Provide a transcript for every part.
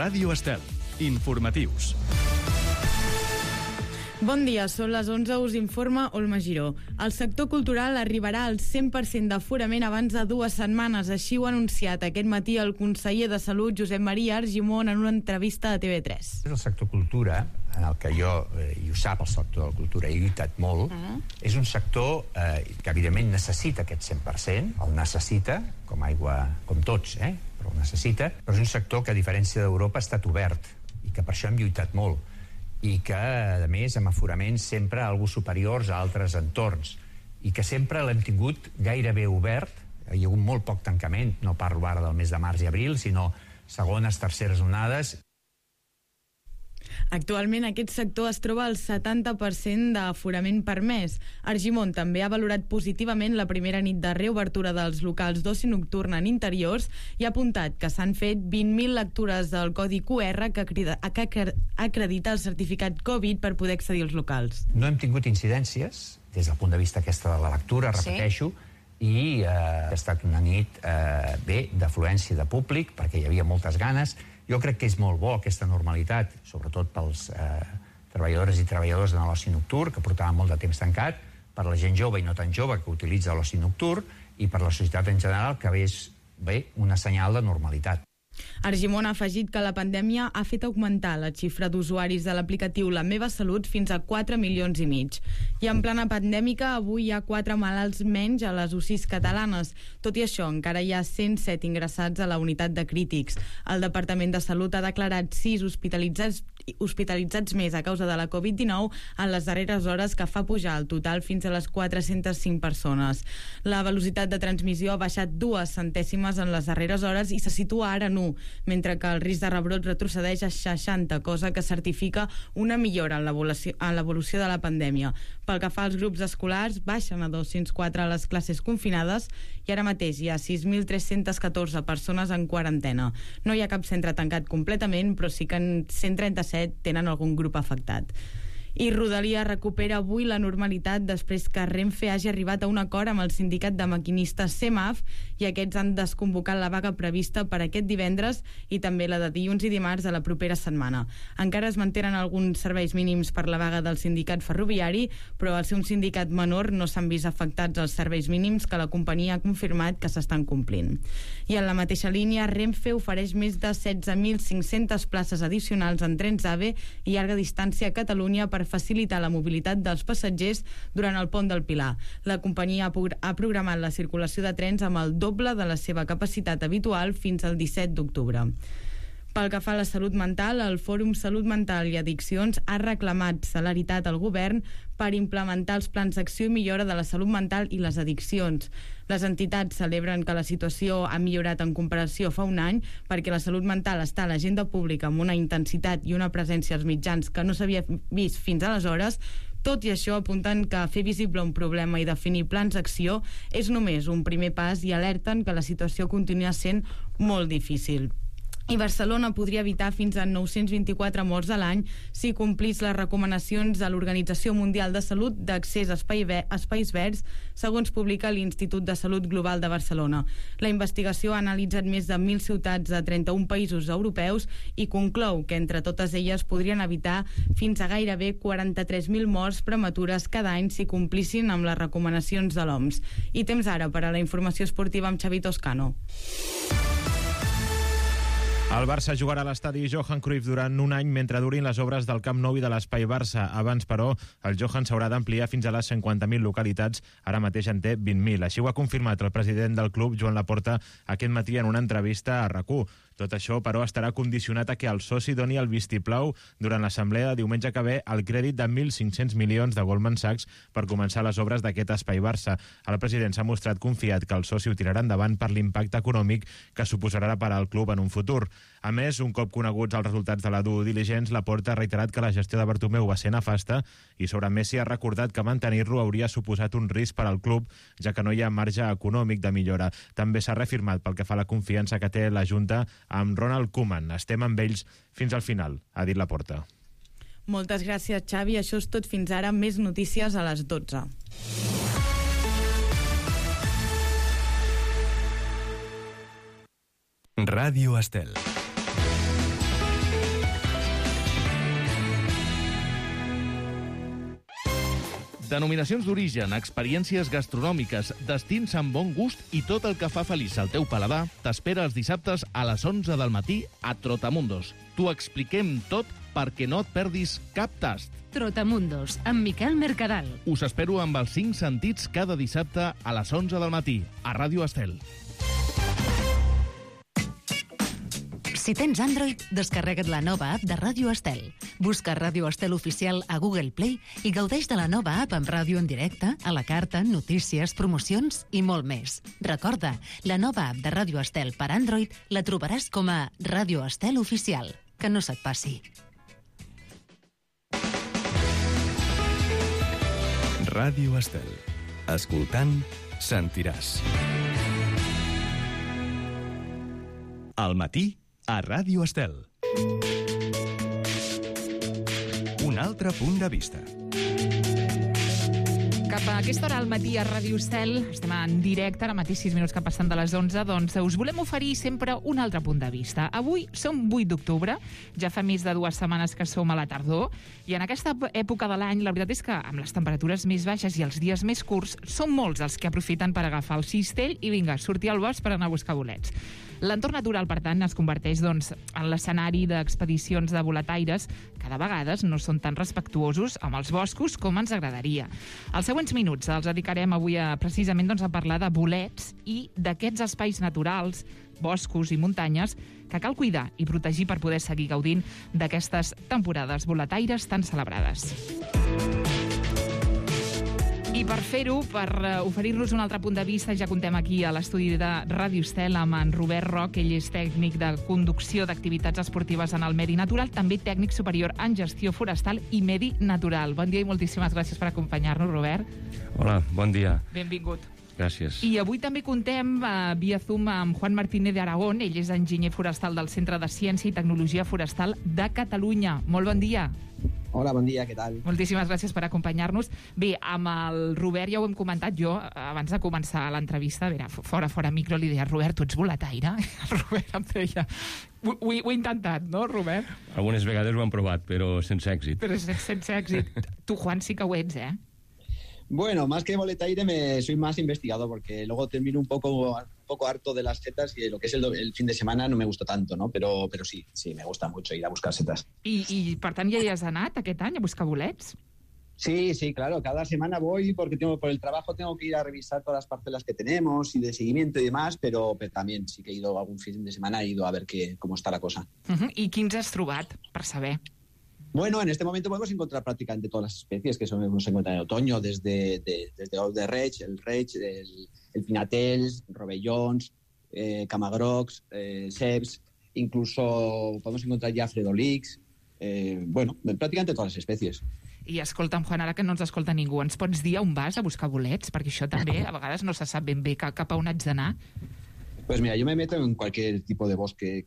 Ràdio Estel. Informatius. Bon dia, són les 11, us informa Olma Giró. El sector cultural arribarà al 100% d'aforament abans de 2 setmanes, així ho ha anunciat aquest matí el conseller de Salut, Josep Maria Argimon, en una entrevista a TV3. El sector cultura, en el que jo, i ho sap el sector de la cultura, he lluitat molt, és un sector que evidentment necessita aquest 100%, el necessita, com aigua, com tots, però el necessita, però és un sector que a diferència d'Europa ha estat obert, i que per això hem lluitat molt, i que, a més, amb aforaments sempre algo superiors a altres entorns, i que sempre l'hem tingut gairebé obert. Hi ha hagut molt poc tancament, no parlo ara del mes de març i abril, sinó segones, terceres onades. Actualment aquest sector es troba al 70% d'aforament permès. Argimon també ha valorat positivament la primera nit de reobertura dels locals d'oci nocturn en interiors i ha apuntat que s'han fet 20.000 lectures del codi QR que acredita el certificat Covid per poder accedir als locals. No hem tingut incidències des del punt de vista aquesta de la lectura, repeteixo, i ha estat una nit d'afluència de públic perquè hi havia moltes ganes. Jo crec que és molt bo aquesta normalitat, sobretot pels treballadores i treballadors de l'oci nocturn, que portaven molt de temps tancat, per la gent jove i no tan jove que utilitza l'oci nocturn, i per la societat en general, que és una senyal de normalitat. Argimon ha afegit que la pandèmia ha fet augmentar la xifra d'usuaris de l'aplicatiu La Meva Salut fins a 4,5 milions. I en plena pandèmica, avui hi ha 4 malalts menys a les UCIs catalanes. Tot i això, encara hi ha 107 ingressats a la unitat de crítics. El Departament de Salut ha declarat 6 hospitalitzats més a causa de la Covid-19 en les darreres hores, que fa pujar el total fins a les 405 persones. La velocitat de transmissió ha baixat 2 centèsimes en les darreres hores i se situa ara en 1, mentre que el risc de rebrot retrocedeix a 60, cosa que certifica una millora en l'evolució de la pandèmia. Pel que fa als grups escolars, baixen a 204 a les classes confinades i ara mateix hi ha 6.314 persones en quarantena. No hi ha cap centre tancat completament, però sí que en 137 tenen algun grup afectat. I Rodalies recupera avui la normalitat després que Renfe hagi arribat a un acord amb el sindicat de maquinistes CEMAF i aquests han desconvocat la vaga prevista per aquest divendres i també la de dilluns i dimarts de la propera setmana. Encara es mantenen alguns serveis mínims per la vaga del sindicat ferroviari, però al ser un sindicat menor no s'han vist afectats els serveis mínims que la companyia ha confirmat que s'estan complint. I en la mateixa línia, Renfe ofereix més de 16.500 places addicionals en trens AVE i llarga distància a Catalunya per facilitar la mobilitat dels passatgers durant el pont del Pilar. La companyia ha programat la circulació de trens amb el doble de la seva capacitat habitual fins al 17 d'octubre. Pel que fa a la salut mental, el Fòrum Salut Mental i Addiccions ha reclamat celeritat al govern per implementar els plans d'acció i millora de la salut mental i les addiccions. Les entitats celebren que la situació ha millorat en comparació fa un any perquè la salut mental està a l'agenda pública amb una intensitat i una presència als mitjans que no s'havia vist fins aleshores. Tot i això, apunten que fer visible un problema i definir plans d'acció és només un primer pas i alerten que la situació continua sent molt difícil. I Barcelona podria evitar fins a 924 morts a l'any si complís les recomanacions de l'Organització Mundial de Salut d'accés a espais verds, segons publica l'Institut de Salut Global de Barcelona. La investigació ha analitzat més de 1.000 ciutats de 31 països europeus i conclou que entre totes elles podrien evitar fins a gairebé 43.000 morts prematures cada any si complissin amb les recomanacions de l'OMS. I temps ara per a la informació esportiva amb Xavi Toscano. El Barça jugarà a l'estadi Johan Cruyff durant un any mentre durin les obres del Camp Nou i de l'Espai Barça. Abans, però, el Johan s'haurà d'ampliar fins a les 50.000 localitats. Ara mateix en té 20.000. Així ho ha confirmat el president del club, Joan Laporta, aquest matí en una entrevista a RAC1. Tot això, però, estarà condicionat a que el soci doni el vistiplau durant l'assemblea de diumenge que ve el crèdit de 1.500 milions de Goldman Sachs per començar les obres d'aquest Espai Barça. El president s'ha mostrat confiat que el soci ho tirarà endavant per l'impacte econòmic que suposarà per al club en un futur. A més, un cop coneguts els resultats de la due diligence, Laporta ha reiterat que la gestió de Bartomeu va ser nefasta i sobre Messi ha recordat que mantenir-lo hauria suposat un risc per al club, ja que no hi ha marge econòmic de millora. També s'ha reafirmat pel que fa a la confiança que té la Junta amb Ronald Koeman. Estem amb ells fins al final, ha dit Laporta. Moltes gràcies, Xavi. Això és tot fins ara. Més notícies a les 12. Ràdio Estel. Denominacions d'origen, experiències gastronòmiques, destins amb bon gust i tot el que fa feliç al teu paladar t'espera els dissabtes a les 11 del matí a Trotamundos. T'ho expliquem tot perquè no et perdis cap tast. Trotamundos, amb Miquel Mercadal. Us espero amb els 5 sentits cada dissabte a les 11 del matí a Ràdio Estel. Si tens Android, descarrega't la nova app de Ràdio Estel. Busca Ràdio Estel Oficial a Google Play i gaudeix de la nova app amb ràdio en directe, a la carta, notícies, promocions i molt més. Recorda, la nova app de Ràdio Estel per Android la trobaràs com a Ràdio Estel Oficial. Que no se't passi. Ràdio Estel. Escoltant, sentiràs. Al matí, a Ràdio Estel. Un altre punt de vista. Cap a aquesta hora al matí a Ràdio Estel, estem en directe, ara mateix 6 minuts que passen de les 11, doncs us volem oferir sempre un altre punt de vista. Avui som 8 d'octubre, ja fa més de 2 setmanes que som a la tardor, i en aquesta època de l'any, la veritat és que amb les temperatures més baixes i els dies més curts, són molts els que aprofiten per agafar el cistell i vinga, sortir al bosc per anar a buscar bolets. L'entorn natural, per tant, es converteix doncs, en l'escenari d'expedicions de boletaires que de vegades no són tan respectuosos amb els boscos com ens agradaria. Els següents minuts els dedicarem avui precisament doncs, a parlar de bolets i d'aquests espais naturals, boscos i muntanyes que cal cuidar i protegir per poder seguir gaudint d'aquestes temporades boletaires tan celebrades. I per fer-ho, per oferir-nos un altre punt de vista, ja contem aquí a l'estudi de Ràdio Estel amb en Robert Roc. Ell és tècnic de conducció d'activitats esportives en el medi natural, també tècnic superior en gestió forestal i medi natural. Bon dia i moltíssimes gràcies per acompanyar-nos, Robert. Hola, bon dia. Benvingut. Gràcies. I avui també contem via Zoom amb Juan Martínez de Aragón. Ell és enginyer forestal del Centre de Ciència i Tecnologia Forestal de Catalunya. Molt bon dia. Hola, bon dia, què tal? Moltíssimes gràcies per acompanyar-nos. Bé, amb el Robert ja ho hem comentat jo, abans de començar l'entrevista, a veure, fora micro li deia, Robert, tu ets boletaire? El Robert em deia, ho he intentat, no, Robert? Algunes vegades ho han provat, però sense èxit. Però sense èxit. Tu, Juan, sí que ho ets, eh? Bueno, más que boletaire soy más investigador, porque luego termino un poco harto de las setas y lo que es el fin de semana no me gusta tanto, ¿no? Pero sí, me gusta mucho ir a buscar setas. I per tant, ja hi has anat aquest any a buscar bolets? Sí, claro, cada semana voy porque por el trabajo tengo que ir a revisar todas las parcelas que tenemos y de seguimiento y demás, pero también sí que he ido algún fin de semana, he ido a ver cómo está la cosa. I quins has trobat, per saber? Bueno, en este momento podemos encontrar prácticamente todas las especies que se encuentran en otoño, desde Ous de Reig, el Reig, el Pinatels, Rovellons, Camagrocs, Ceps, incluso podemos encontrar ya Fredolix, bueno, prácticamente todas las especies. I escolta'm, Juan, ara que no ens escolta ningú, ens pots dir on vas a buscar bolets? Perquè això també a vegades no se sap ben bé cap a on haig d'anar. Pues mira, yo me meto en cualquier tipo de bosque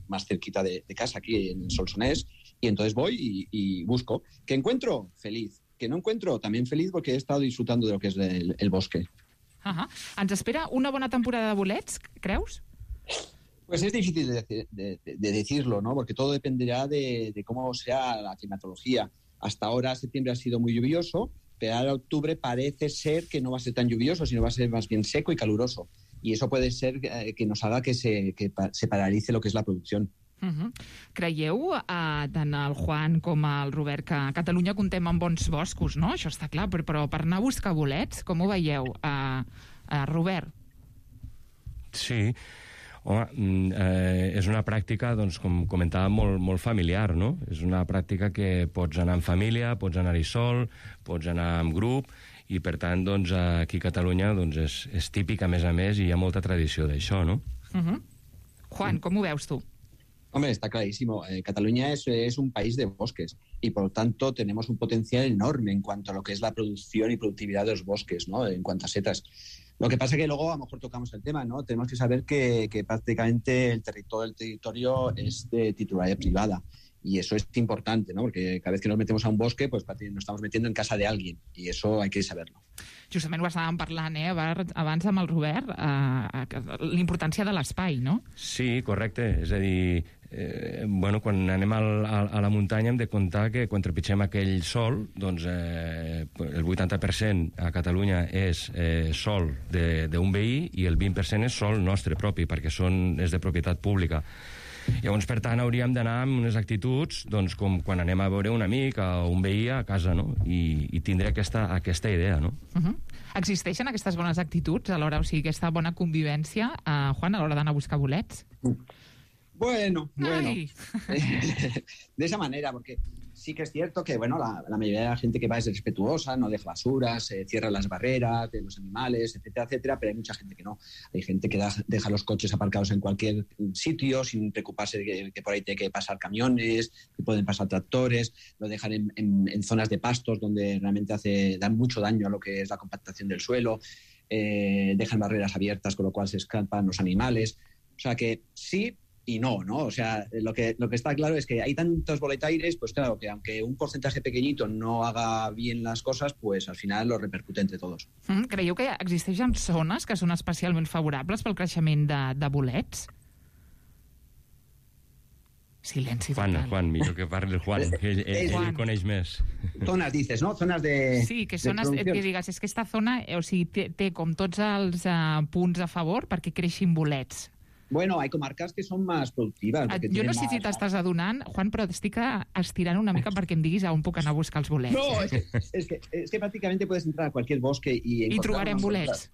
más cerquita de casa, aquí en Solsonès, y entonces voy y busco. ¿Que encuentro? Feliz. Que no encuentro? También feliz, porque he estado disfrutando de lo que es el bosque. Ens espera una bona temporada de bolets, creus? Pues es difícil de decirlo, ¿no? Porque todo dependerá de cómo sea la climatología. Hasta ahora septiembre ha sido muy lluvioso, pero ahora octubre parece ser que no va a ser tan lluvioso, sino va a ser más bien seco y caluroso. Y eso puede ser que nos haga que se paralice lo que es la producción. Creieu, tant el Juan com el Robert, que a Catalunya contem amb bons boscos, no? Això està clar, però per anar a buscar bolets, com ho veieu? Robert? Sí, home, és una pràctica, doncs, com comentàvem, molt familiar, no? És una pràctica que pots anar en família, pots anar-hi sol, pots anar en grup, i per tant, doncs, aquí a Catalunya doncs, és típic, a més, i hi ha molta tradició d'això, no? Juan, com ho veus tu? Hombre, está clarísimo. Cataluña es un país de bosques y, por lo tanto, tenemos un potencial enorme en cuanto a lo que es la producción y productividad de los bosques, ¿no? En cuanto a setas. Lo que pasa es que luego a lo mejor tocamos el tema, ¿no? Tenemos que saber que prácticamente el territorio es de titularidad privada. Y eso es importante, ¿no? Porque cada vez que nos metemos a un bosque, pues nos estamos metiendo en casa de alguien. Y eso hay que saberlo. Justament ho estàvem parlant, abans amb el Robert, la importància de l'espai, no? Sí, correcte. És a dir, quan anem a la muntanya hem de comptar que quan trepitgem aquell sòl, doncs el 80% a Catalunya és sòl d'un veí i el 20% és sòl nostre propi, perquè és de propietat pública. Llavors, per tant, hauríem d'anar amb unes actituds com quan anem a veure un amic o un veí a casa, no? I tindre aquesta idea, no? Existeixen aquestes bones actituds a l'hora, o sigui, aquesta bona convivència, Juan, a l'hora d'anar a buscar bolets? Bueno. De esa manera, porque sí que es cierto que, la mayoría de la gente que va es respetuosa, no deja basuras, cierra las barreras de los animales, etcétera, etcétera, pero hay mucha gente que no. Hay gente que deja los coches aparcados en cualquier sitio sin preocuparse de que por ahí tiene que pasar camiones, que pueden pasar tractores, lo dejan en zonas de pastos donde realmente dan mucho daño a lo que es la compactación del suelo, dejan barreras abiertas, con lo cual se escapan los animales. O sea que sí y no. O sea, lo que está claro es que hay tantos boletaires, pues claro, que aunque un porcentaje pequeñito no haga bien las cosas, pues al final lo repercute entre todos. Creieu que existeixen zones que són especialment favorables pel creixement de bolets? Silenci total. Juan, millor que parli el Juan, que ell coneix més. Zonas, dices, ¿no? Zonas de... Sí, que zones que digues, és que esta zona, o sigui, té com tots els punts a favor perquè creixin bolets. Bueno, hay comarcas que son más productivas. Jo no sé si t'estàs adonant, Juan, però estic estirant una mica perquè em diguis on puc anar a buscar els bolets. No, es que prácticamente puedes entrar a cualquier bosque y trobarem bolets.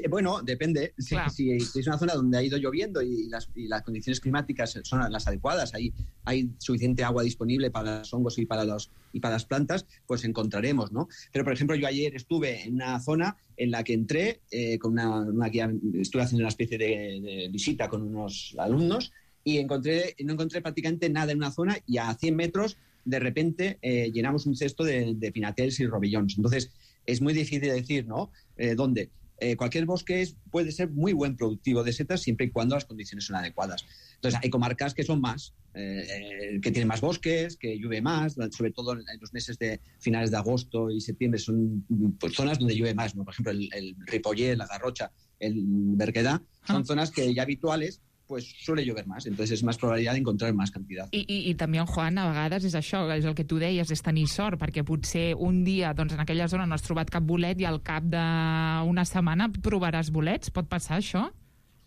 Bueno, depende. Si es una zona donde ha ido lloviendo y las condiciones climáticas son las adecuadas, hay suficiente agua disponible para los hongos y para las plantas, pues encontraremos, ¿no? Pero, por ejemplo, yo ayer estuve en una zona en la que entré con una guía, estuve haciendo una especie de visita con unos alumnos y no encontré prácticamente nada en una zona y a 100 metros de repente llenamos un cesto de pinatels y robillons. Entonces es muy difícil decir, ¿no? ¿Dónde? Cualquier bosque puede ser muy buen productivo de setas siempre y cuando las condiciones son adecuadas. Entonces hay comarcas que son más, que tienen más bosques, que llueve más, sobre todo en los meses de finales de agosto y septiembre son pues, zonas donde llueve más, ¿no? Por ejemplo, el Ripollet, la Garrocha, el Berguedà, son zonas que ya habituales, pues suele llover más, entonces es más probabilidad de encontrar más cantidad. I també, Juan, a vegades és això, és el que tu deies, és tenir sort, perquè potser un dia doncs, en aquella zona no has trobat cap bolet i al cap d'una setmana provaràs bolets. Pot passar això?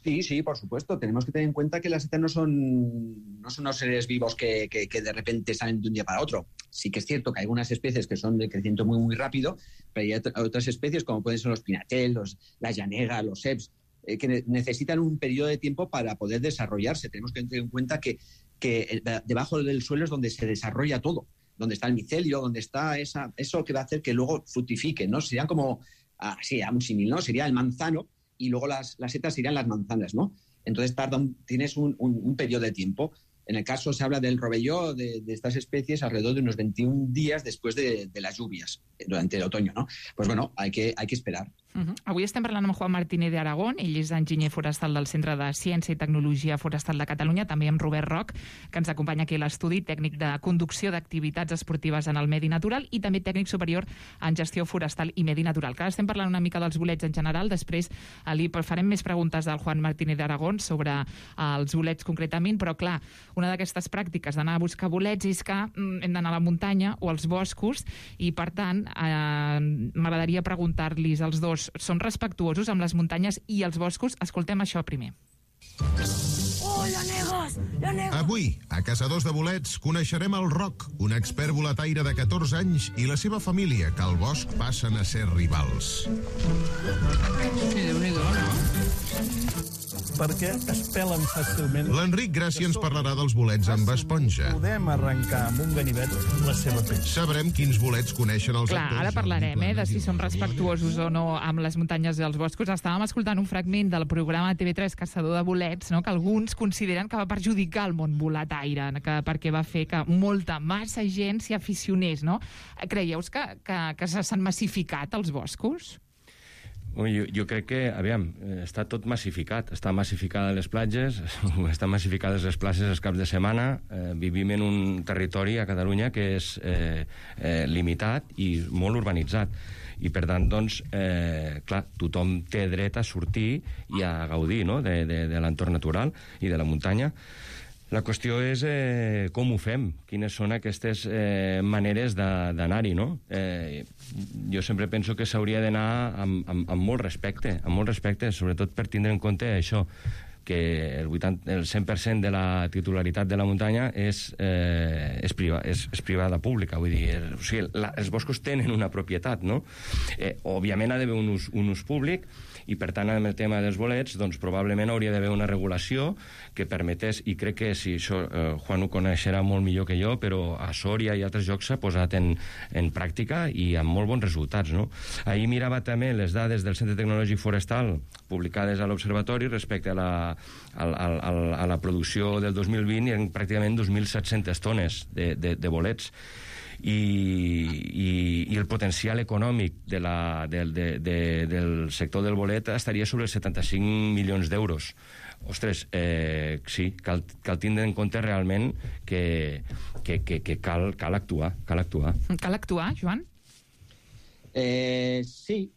Sí, por supuesto. Tenemos que tener en cuenta que las setas no son unos seres vivos que de repente salen de un día para otro. Sí que es cierto que hay algunas especies que son de crecimiento muy, muy rápido, pero hay otras especies como pueden ser los pinatels, la llanega, los ceps, que necesitan un periodo de tiempo para poder desarrollarse. Tenemos que tener en cuenta que debajo del suelo es donde se desarrolla todo, donde está el micelio, donde está eso que va a hacer que luego fructifique, ¿no? Serían como, un símil, ¿no? Sería el manzano y luego las setas serían las manzanas, ¿no? Entonces tienes un periodo de tiempo. En el caso se habla del rovelló de estas especies alrededor de unos 21 días después de las lluvias, durante el otoño, ¿no? Pues bueno, hay que esperar. Avui estem parlant amb Juan Martínez de Aragón, ell és enginyer forestal del Centre de Ciència i Tecnologia Forestal de Catalunya, també amb Robert Roch, que ens acompanya aquí a l'estudi, tècnic de conducció d'activitats esportives en el medi natural i també tècnic superior en gestió forestal i medi natural. Que ara estem parlant una mica dels bolets en general, després farem més preguntes del Juan Martínez de Aragón sobre els bolets concretament, però clar, una d'aquestes pràctiques d'anar a buscar bolets és que hem d'anar a la muntanya o als boscos i per tant m'agradaria preguntar-los als dos, són respectuosos amb les muntanyes i els boscos? Escoltem això primer. Oh, llanegos! Avui, a Caçadors de Bolets, coneixerem el Roc, un expert boletaire de 14 anys i la seva família, que al bosc passen a ser rivals. Déu-n'hi-do, no? Perquè es pelen fàcilment. L'Enric Gràcia ens parlarà dels bolets amb esponja. Podem arrencar amb un ganivet la seva pell. Sabrem quins bolets coneixen els actors. Clar, ara parlarem de si són respectuosos o no amb les muntanyes i els boscos. Estàvem escoltant un fragment del programa TV3 Caçador de Bolets, no? Que alguns consideren que va perjudicar el món boletaire, perquè va fer que massa gent s'hi aficionés, no? Creieu que s'han massificat els boscos? Jo crec que, està tot massificat. Està massificada les platges, estan massificades les places els caps de setmana. Vivim en un territori a Catalunya que és limitat i molt urbanitzat. I, per tant, doncs, clar, tothom té dret a sortir i a gaudir, no?, de l'entorn natural i de la muntanya. La qüestió és com ho fem, quines són aquestes maneres d'anar-hi, no? Jo sempre penso que s'hauria d'anar amb molt respecte, sobretot per tindre en compte això, que el 100% de la titularitat de la muntanya és privada pública, vull dir, o sigui, els boscos tenen una propietat, no? Òbviament ha d'haver un ús públic, i per tant amb el tema dels bolets doncs probablement hauria d'haver una regulació que permetés, i crec que si això Juan ho coneixerà molt millor que jo, però a Sòria i altres llocs s'ha posat en pràctica i amb molt bons resultats, no? Ahir mirava també les dades del Centre Tecnològic Forestal publicades a l'Observatori respecte a la producció del 2020 i en pràcticament 2.700 tones de bolets. I el potencial econòmic del sector del bolet estaria sobre els 75 milions d'euros. Ostres, sí, cal tindre en compte realment que cal actuar. Cal actuar, Joan? Sí,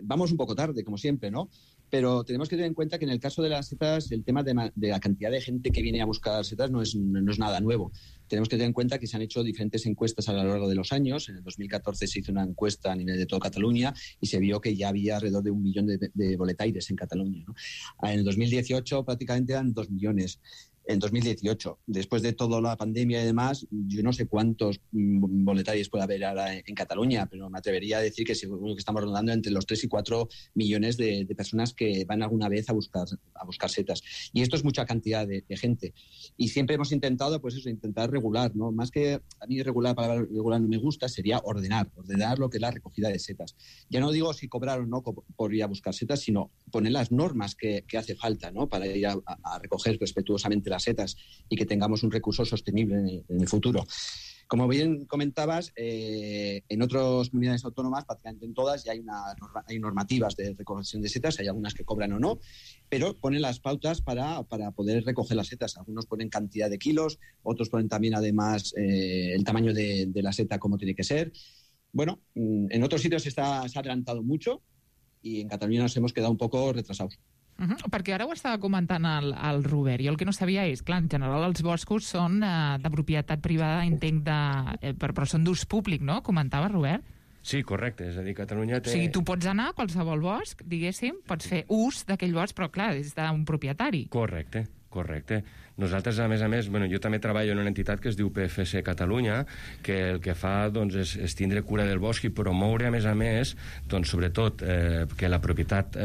vamos un poco tarde, como siempre, ¿no? Pero tenemos que tener en cuenta que en el caso de las setas, el tema de la cantidad de gente que viene a buscar setas no es nada nuevo. Tenemos que tener en cuenta que se han hecho diferentes encuestas a lo largo de los años. En el 2014 se hizo una encuesta a nivel de toda Cataluña y se vio que ya había alrededor de 1 millón de boletaires en Cataluña, ¿no? En el 2018 prácticamente eran 2 millones. En 2018, después de toda la pandemia y demás, yo no sé cuántos boletarios puede haber ahora en Cataluña, pero me atrevería a decir que seguro que estamos rondando entre los 3 y 4 millones de personas que van alguna vez a buscar setas. Y esto es mucha cantidad de gente. Y siempre hemos intentado, pues eso, intentar regular, ¿no? Más que a mí la palabra regular no me gusta, sería ordenar lo que es la recogida de setas. Ya no digo si cobrar o no por ir a buscar setas, sino poner las normas que hace falta, ¿no? Para ir a recoger respetuosamente las setas y que tengamos un recurso sostenible en el futuro. Como bien comentabas, en otras comunidades autónomas, prácticamente en todas, ya hay normativas de recolección de setas, hay algunas que cobran o no, pero ponen las pautas para poder recoger las setas. Algunos ponen cantidad de kilos, otros ponen también además el tamaño de la seta como tiene que ser. Bueno, en otros sitios se ha adelantado mucho y en Cataluña nos hemos quedado un poco retrasados. Perquè ara ho estava comentant el Robert, i el que no sabia és, clar, en general els boscos són de propietat privada, entenc, però són d'ús públic, no? Comentava, Robert? Sí, correcte, és a dir, Catalunya té... O sigui, tu pots anar a qualsevol bosc, diguéssim, pots fer ús d'aquell bosc, però clar, és d'un propietari. Correcte. Nosaltres, a més, jo també treballo en una entitat que es diu PFC Catalunya, que el que fa doncs, és tindre cura del bosc i promoure, a més, doncs, sobretot que la propietat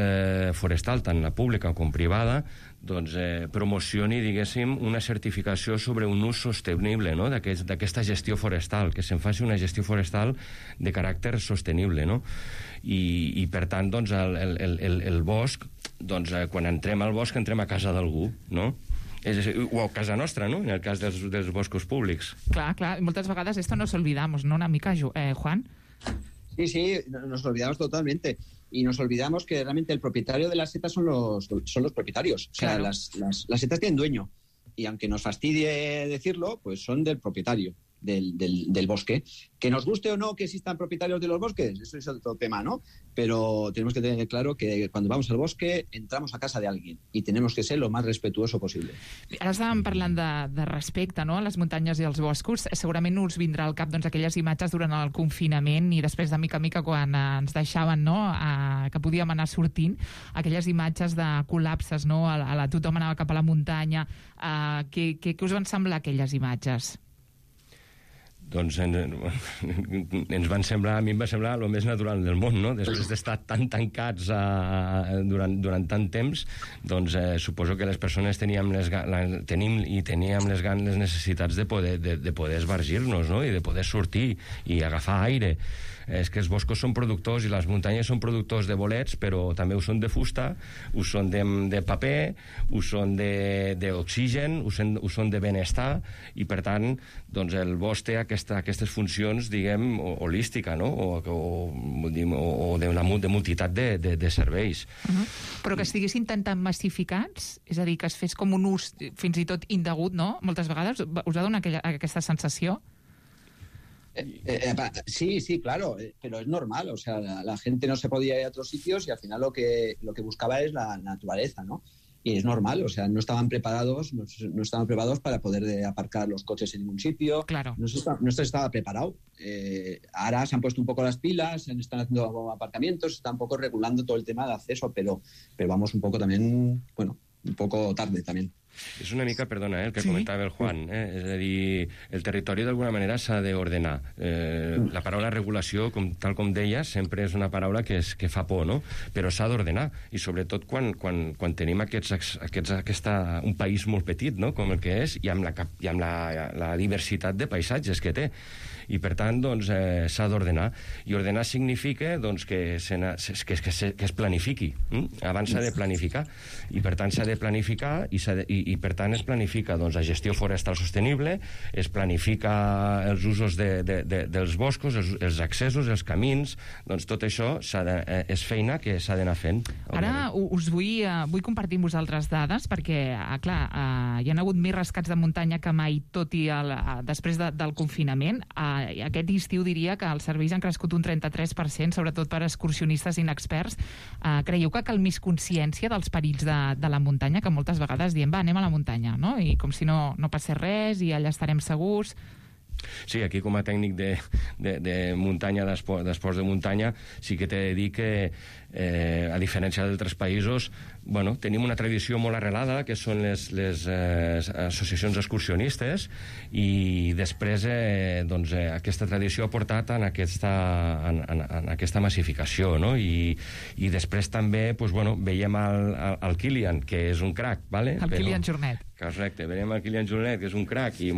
forestal, tant la pública com privada, doncs, promocioni, diguéssim, una certificació sobre un ús sostenible, no? D'aquesta gestió forestal, que se'n faci una gestió forestal de caràcter sostenible, no? I per tant, doncs, el bosc, doncs, quan entrem al bosc, entrem a casa d'algú, no? O a casa nostra, no? En el cas dels boscos públics. Clar, moltes vegades esto nos olvidamos, ¿no? Una mica, Juan? Sí, nos olvidamos totalmente. Y nos olvidamos que realmente el propietario de las setas son los propietarios. O sea, claro. Las setas tienen dueño. Y aunque nos fastidie decirlo, pues son del propietario del bosque. Que nos guste o no que existan propietarios de los bosques, eso es otro tema, ¿no? Pero tenemos que tener claro que cuando vamos al bosque entramos a casa de alguien y tenemos que ser lo más respetuoso possible. Ara estàvem parlant de respecte, no?, a les muntanyes i als boscos. Segurament us vindrà al cap, doncs, aquelles imatges durant el confinament i després de mica a mica quan ens deixaven, no?, que podíem anar sortint, aquelles imatges de col·lapses, no?, tothom anava cap a la muntanya. Què us van semblar aquelles imatges? Doncs a mi em va semblar el més natural del món, no? Després d'estar tan tancats durant tant temps, doncs suposo que les persones teníem les necessitats de poder esbargir-nos, no? I de poder sortir i agafar aire. És que els boscos són productors i les muntanyes són productors de bolets, però també ho són de fusta, ho són de paper, ho són d'oxigen, ho són de benestar, i per tant, doncs el bosc té aquestes funcions, diguem, holística, no? O de multitat de serveis. Però que estiguessin tan massificats, és a dir, que es fes com un ús fins i tot indegut, no? Moltes vegades us ha donat aquesta sensació? Sí, claro, pero es normal, o sea, la gente no se podía ir a otros sitios y al final lo que buscaba es la naturaleza, ¿no? Y es normal, o sea, no estaban preparados para poder aparcar los coches en ningún sitio. Claro. No se estaba preparado. Ahora se han puesto un poco las pilas, están haciendo aparcamientos, están un poco regulando todo el tema de acceso, pero vamos un poco también, bueno, un poco tarde también. És una mica, perdona, el que comentava el Juan, és a dir, el territori d'alguna manera s'ha d'ordenar. La paraula regulació, tal com deia, sempre és una paraula que fa por, no? Però s'ha d'ordenar, i sobretot quan tenim un país molt petit, no?, com el que és, i amb la diversitat de paisatges que té. I, per tant, doncs, s'ha d'ordenar. I ordenar significa doncs, que es planifiqui. Abans s'ha de planificar. I, per tant, s'ha de planificar i per tant, es planifica doncs, la gestió forestal sostenible, es planifica els usos dels boscos, els accessos, els camins, doncs tot això és feina que s'ha d'anar fent. Ara us vull compartir amb vosaltres dades, perquè, clar, hi ha hagut més rescats de muntanya que mai, tot i després del confinament. Aquest estiu diria que els serveis han crescut un 33%, sobretot per excursionistes inexperts. Creieu que cal més consciència dels perills de la muntanya, que moltes vegades diem, va, anem a la muntanya, no? I com si no passés res i allà estarem segurs. Sí, aquí com a tècnic de muntanya, d'esports de muntanya, sí que t'he de dir que, a diferència d'altres països, bueno, tenim una tradició molt arrelada, que són les associacions excursionistes, i després doncs, aquesta tradició ha portat en aquesta massificació, no? I després també doncs, bueno, veiem el Kilian, que és un crac, ¿vale? El Kilian Jornet. Correcte, veiem el Kilian Jornet, que és un crac i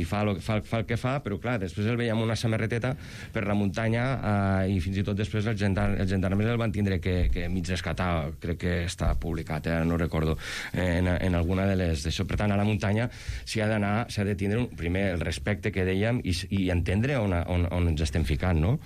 fa el que fa, però clar, després el veiem una samarreteta per la muntanya, i fins i tot després els gendarmes el van tindre que mig rescatar, crec que està publicat, no recordo, en alguna de les d'això. Per tant, a la muntanya s'ha de tindre primer el respecte que dèiem i entendre on ens estem ficant, no?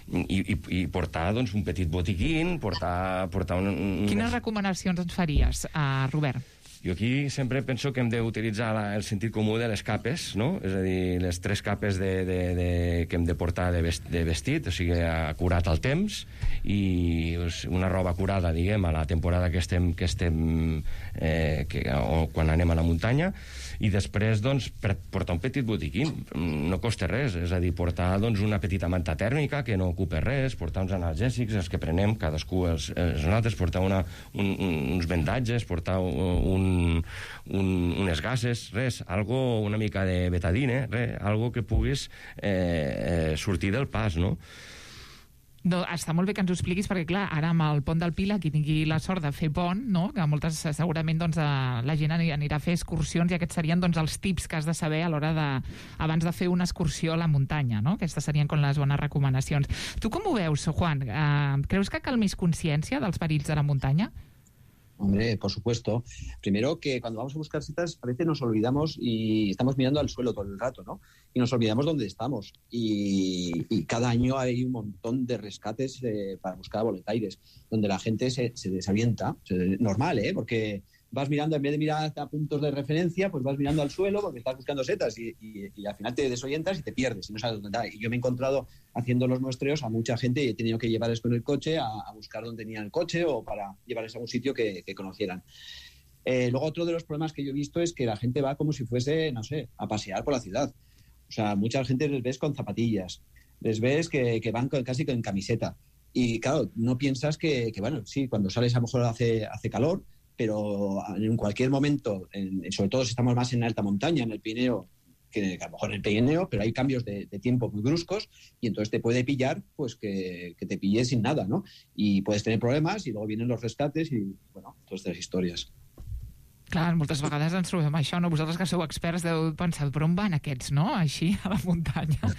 I portar doncs, un petit botiquín, portar Quines recomanacions ens faries, Robert? Jo aquí sempre penso que hem d'utilitzar el sentit comú de les capes, no? És a dir, les 3 capes que hem de portar de vestit, o sigui, acurat al temps, i una roba acurada, diguem, a la temporada que estem o quan anem a la muntanya, i després, doncs, portar un petit botiquín, no costa res, és a dir, portar doncs, una petita manta tèrmica que no ocupa res, portar uns analgèsics, els que prenem, cadascú els nosaltres, portar uns vendatges, portar unes gases, res, algo una mica de betadine, res, algo que puguis sortir del pas, no? No, està molt bé que ens ho expliquis, perquè clar, ara amb el pont del Pila, qui tingui la sort de fer pont, no? Que moltes segurament doncs, la gent anirà a fer excursions, i aquests serien doncs, els tips que has de saber a l'hora abans de fer una excursió a la muntanya, no? Aquestes serien com les bones recomanacions. Tu com ho veus, Juan? Creus que cal més consciència dels perills de la muntanya? Hombre, por supuesto. Primero que cuando vamos a buscar setas a veces nos olvidamos y estamos mirando al suelo todo el rato, ¿no? Y nos olvidamos dónde estamos. Y cada año hay un montón de rescates para buscar boletaires, donde la gente se desalienta. Normal, ¿eh? Porque vas mirando, en vez de mirar a puntos de referencia, pues vas mirando al suelo porque estás buscando setas y al final te desorientas y te pierdes y no sabes dónde está. Y yo me he encontrado haciendo los muestreos a mucha gente y he tenido que llevarles con el coche a buscar dónde tenían el coche o para llevarles a un sitio que conocieran. Luego otro de los problemas que yo he visto es que la gente va como si fuese, no sé, a pasear por la ciudad. O sea, mucha gente les ves con zapatillas, les ves que van casi con camiseta. Y claro, no piensas que bueno, sí, cuando sales a lo mejor hace calor, pero en cualquier momento, sobre todo si estamos más en alta montaña, en el Pirineo, que a lo mejor en el Pirineo, pero hay cambios de tiempo muy bruscos y entonces te puede pillar pues que te pille sin nada, ¿no? Y puedes tener problemas y luego vienen los rescates y, bueno, todas estas historias. Clar, moltes vegades ens trobem això, no? Vosaltres que sou experts deu pensar, però on van aquests, no? Així, a la muntanya.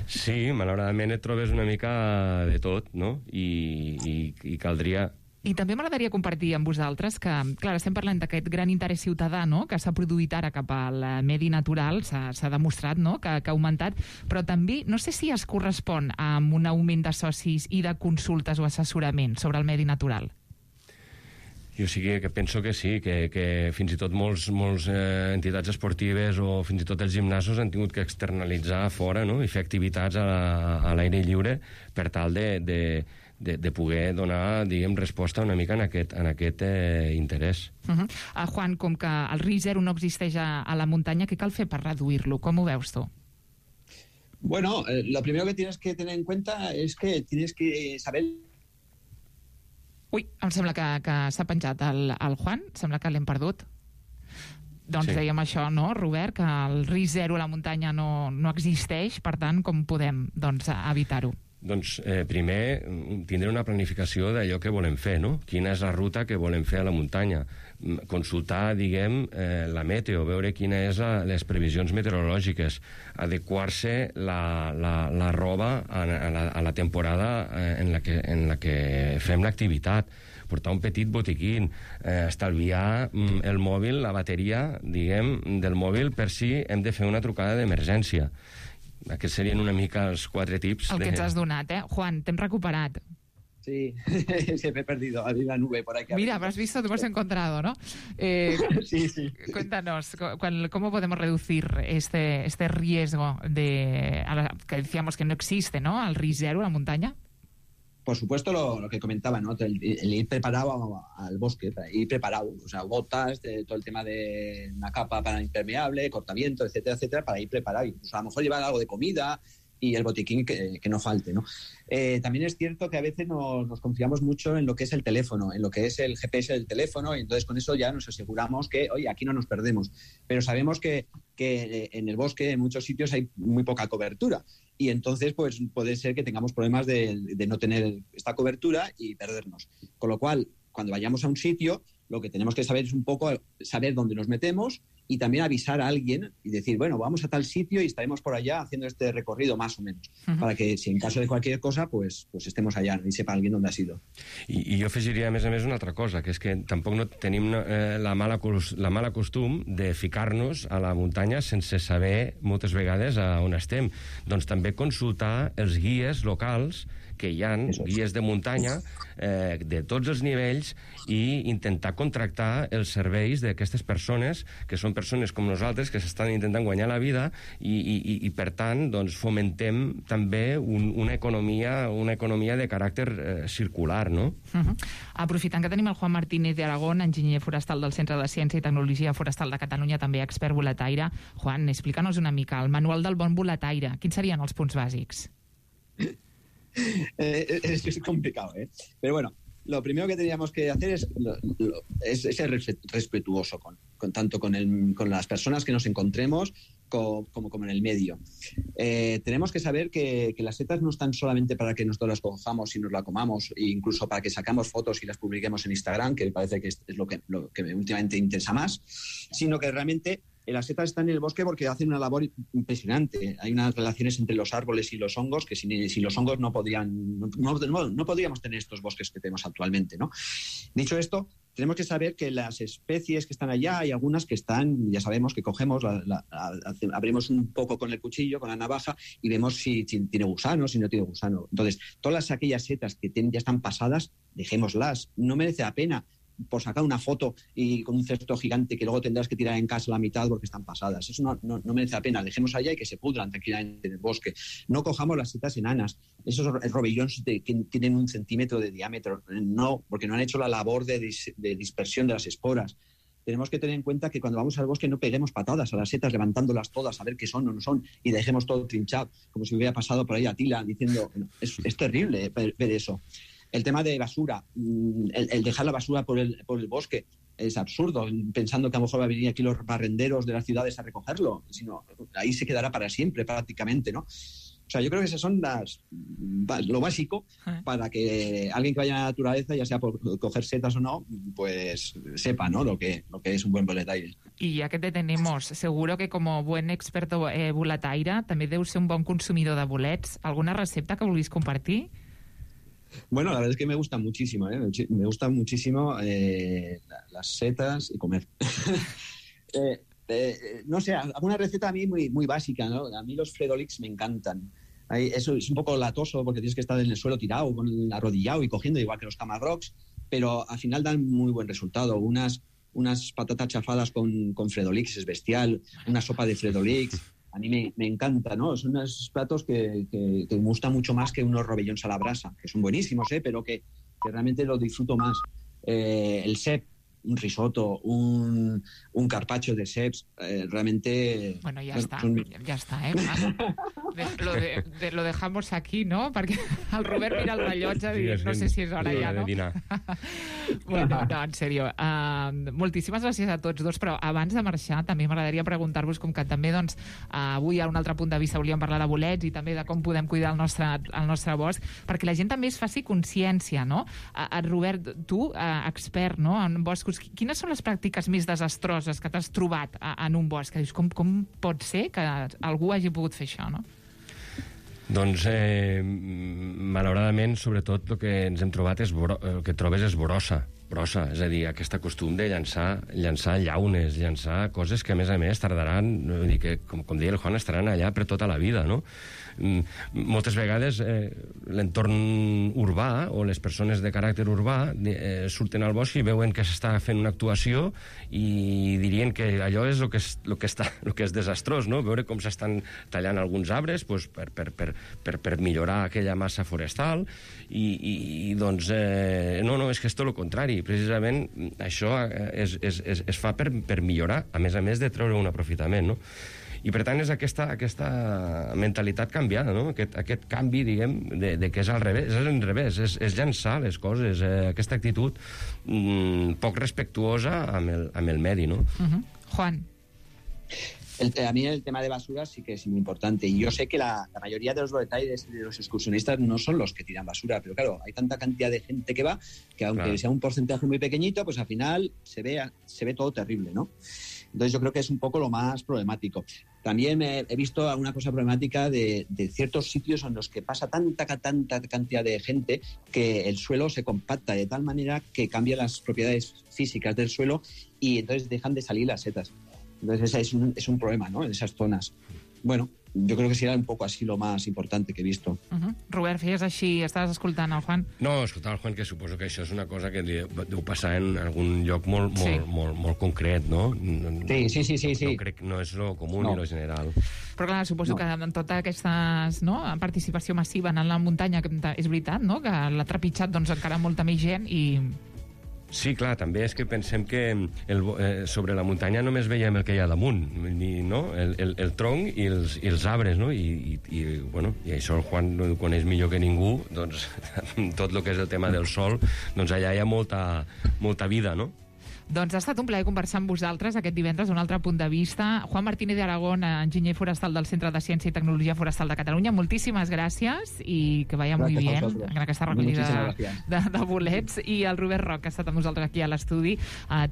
Sí, malauradament et trobes una mica de tot, no? I caldria... I també m'agradaria compartir amb vosaltres que, clar, estem parlant d'aquest gran interès ciutadà, no?, que s'ha produït ara cap al medi natural, s'ha demostrat, no?, que ha augmentat, però també no sé si es correspon amb un augment de socis i de consultes o assessorament sobre el medi natural. Jo sí que penso que sí, que fins i tot molts entitats esportives o fins i tot els gimnasos han tingut que externalitzar fora, no?, i fer activitats a l'aire lliure per tal de de poder donar, diguem, resposta una mica en aquest interès. Juan, com que el risc zero no existeix a la muntanya, què cal fer per reduir-lo? Com ho veus tu? Bueno, lo primero que tienes que tener en cuenta es que tienes que saber... Ui, em sembla que s'ha penjat el Juan, sembla que l'hem perdut. Doncs sí. Dèiem això, no, Robert, que el risc zero a la muntanya no existeix, per tant, com podem evitar-ho? Doncs primer tindre una planificació d'allò que volem fer, no? Quina és la ruta que volem fer a la muntanya. Consultar, diguem, la meteo, veure quines és les previsions meteorològiques, adequar-se la roba a la temporada en la que fem l'activitat, portar un petit botiquín, estalviar el mòbil, la bateria, diguem, del mòbil per si hem de fer una trucada d'emergència. Aquests serien una mica els 4 tips. El que ens has donat, Juan, t'hem recuperat. Sí, se me he perdido, había una nube por ahí. Mira, has visto, te hemos encontrado, ¿no? Sí. Cuéntanos, ¿cómo podemos reducir este riesgo que decíamos que no existe, ¿no? Al riesgo zero a la montaña? Por supuesto, lo que comentaba, ¿no? El ir preparado al bosque, ir preparado, o sea, botas, todo el tema de una capa para impermeable, cortaviento, etcétera, etcétera, para ir preparado. Incluso a lo mejor llevar algo de comida y el botiquín que no falte, ¿no? También es cierto que a veces nos confiamos mucho en lo que es el teléfono, en lo que es el GPS del teléfono, y entonces con eso ya nos aseguramos que, oye, aquí no nos perdemos. Pero sabemos que en el bosque, en muchos sitios, hay muy poca cobertura. Y entonces, pues, puede ser que tengamos problemas de no tener esta cobertura y perdernos. Con lo cual, cuando vayamos a un sitio, lo que tenemos que saber es un poco saber dónde nos metemos y también avisar a alguien y decir, bueno, vamos a tal sitio y estaremos por allá haciendo este recorrido más o menos, para que si en caso de cualquier cosa, pues estemos allà i sepa alguien dónde ha sido. I jo afegiria, a més, una altra cosa, que és que tampoc no tenim la mala costum de ficar-nos a la muntanya sense saber moltes vegades a on estem. Doncs també consultar els guies locals que hi ha, guies de muntanya de tots els nivells, i intentar contractar els serveis d'aquestes persones, que són persones com nosaltres, que s'estan intentant guanyar la vida, i per tant, doncs, fomentem també una economia de caràcter circular, no? Aprofitant que tenim el Juan Martínez de Aragón, enginyer forestal del Centre de Ciència i Tecnologia Forestal de Catalunya, també expert boletaire. Juan, explícanos una mica el manual del bon boletaire. Quins serien els punts bàsics? Es complicado, pero bueno, lo primero que tendríamos que hacer es ser respetuoso tanto con las personas que nos encontremos como en el medio. Tenemos que saber que las setas no están solamente para que nosotros las cojamos y nos la comamos, e incluso para que sacamos fotos y las publiquemos en Instagram, que parece que es lo que últimamente interesa más, sino que realmente las setas están en el bosque porque hacen una labor impresionante. Hay unas relaciones entre los árboles y los hongos que sin los hongos no podríamos tener estos bosques que tenemos actualmente, ¿no? Dicho esto, tenemos que saber que las especies que están allá, hay algunas que están, ya sabemos que cogemos, abrimos un poco con el cuchillo, con la navaja, y vemos si tiene gusano, si no tiene gusano. Entonces, todas aquellas setas que ya están pasadas, dejémoslas. No merece la pena por sacar una foto y con un cesto gigante que luego tendrás que tirar en casa a la mitad porque están pasadas. Eso no merece la pena. Dejemos allá y que se pudran tranquilamente en el bosque. No cojamos las setas enanas. Esos robillones que tienen 1 centímetro de diámetro. No, porque no han hecho la labor de dispersión de las esporas. Tenemos que tener en cuenta que cuando vamos al bosque no peguemos patadas a las setas levantándolas todas a ver qué son o no son y dejemos todo trinchado, como si hubiera pasado por ahí Atila diciendo... Es terrible ver eso. El tema de basura, el dejar la basura por el bosque, es absurdo, pensando que a lo mejor va a venir aquí los barrenderos de las ciudades a recogerlo, sino ahí se quedará para siempre prácticamente, ¿no? O sea, yo creo que esas son lo básico para que alguien que vaya a la naturaleza, ya sea por coger setas o no, pues sepa, ¿no?, lo que es un buen boletaire. Y ya que te tenemos, seguro que como buen experto boletaire també deus ser un bon consumidor de bolets. ¿Alguna recepta que vulguis compartir? Bueno, la verdad es que me gusta muchísimo, me gustan muchísimo las setas y comer. No sé, alguna receta a mí muy básica, ¿no? A mí los Fredolix me encantan. Eso es un poco latoso porque tienes que estar en el suelo tirado, arrodillado y cogiendo, igual que los Camarrocs, pero al final dan muy buen resultado. Unas patatas chafadas con Fredolix es bestial, una sopa de Fredolix. a mí me encanta, ¿no? Son unos platos que me gustan mucho más que unos rovellons a la brasa, que son buenísimos, pero que realmente los disfruto más. El cep, un risotto, un carpaccio de ceps, realmente... Bueno, ya está, lo dejamos aquí, no? Perquè el Robert mira el rellotge i no sé si és hora ja, no? Bueno, no, en sèrio. Moltíssimes gràcies a tots dos, però abans de marxar també m'agradaria preguntar-vos, com que també doncs, avui a un altre punt de vista volíem parlar de bolets i també de com podem cuidar el nostre bosc, perquè la gent també es faci consciència, no? Robert, tu, expert, no?, en boscos, quines són les pràctiques més desastroses que t'has trobat en un bosc? Que dius, com pot ser que algú hagi pogut fer això, no? Doncs, malauradament, sobretot el que ens hem trobat el que trobes és brossa, és a dir, aquest costum de llançar llaunes, llançar coses que, a més, tardaran, com deia el Juan, estaran allà per tota la vida, no? Moltes vegades l'entorn urbà o les persones de caràcter urbà surten al bosc i veuen que s'està fent una actuació i dirien que allò és el que és desastrós, no? Veure com s'estan tallant alguns arbres per millorar aquella massa forestal i doncs no, és que és tot el contrari. Precisament això es fa per millorar, a més de treure un aprofitament, no? I, per tant, és aquesta mentalitat canviada, no? Aquest canvi, diguem, de que és al revés. És al revés, és llançar les coses, aquesta actitud poc respectuosa amb el medi, no? Juan. A mí el tema de basura sí que es muy importante. Y yo sé que la mayoría de los boletales de los excursionistas no son los que tiran basura, pero claro, hay tanta cantidad de gente que va que aunque sea un porcentaje muy pequeñito, pues al final se ve todo terrible, ¿no? Entonces yo creo que es un poco lo más problemático. También he visto una cosa problemática de ciertos sitios en los que pasa tanta cantidad de gente que el suelo se compacta de tal manera que cambia las propiedades físicas del suelo y entonces dejan de salir las setas. Entonces ese es un problema, ¿no?, en esas zonas. Bueno, jo crec que serà un poc així lo más importante que he visto. Robert, feies així, estaves escoltant el Juan? No, escoltant el Juan, que suposo que això és una cosa que deu passar en algun lloc molt concret, no? Sí. No és lo comú ni lo general. Però clar, suposo que en tota aquesta participació massiva en la muntanya, és veritat, no?, que l'ha trepitjat encara molta més gent i... Sí, clar, també és que pensem que sobre la muntanya només veiem el que hi ha damunt, no? El tronc i els arbres, no? I això el Juan ho coneix millor que ningú, doncs tot el que és el tema del sol, doncs allà hi ha molta vida, no? Doncs ha estat un plaer conversar amb vosaltres aquest divendres, un altre punt de vista. Juan Martínez de Aragón, enginyer forestal del Centre de Ciència i Tecnologia Forestal de Catalunya, moltíssimes gràcies i que vaya muy bien en aquesta recollida de bolets. I el Robert Roch, que ha estat amb nosaltres aquí a l'estudi,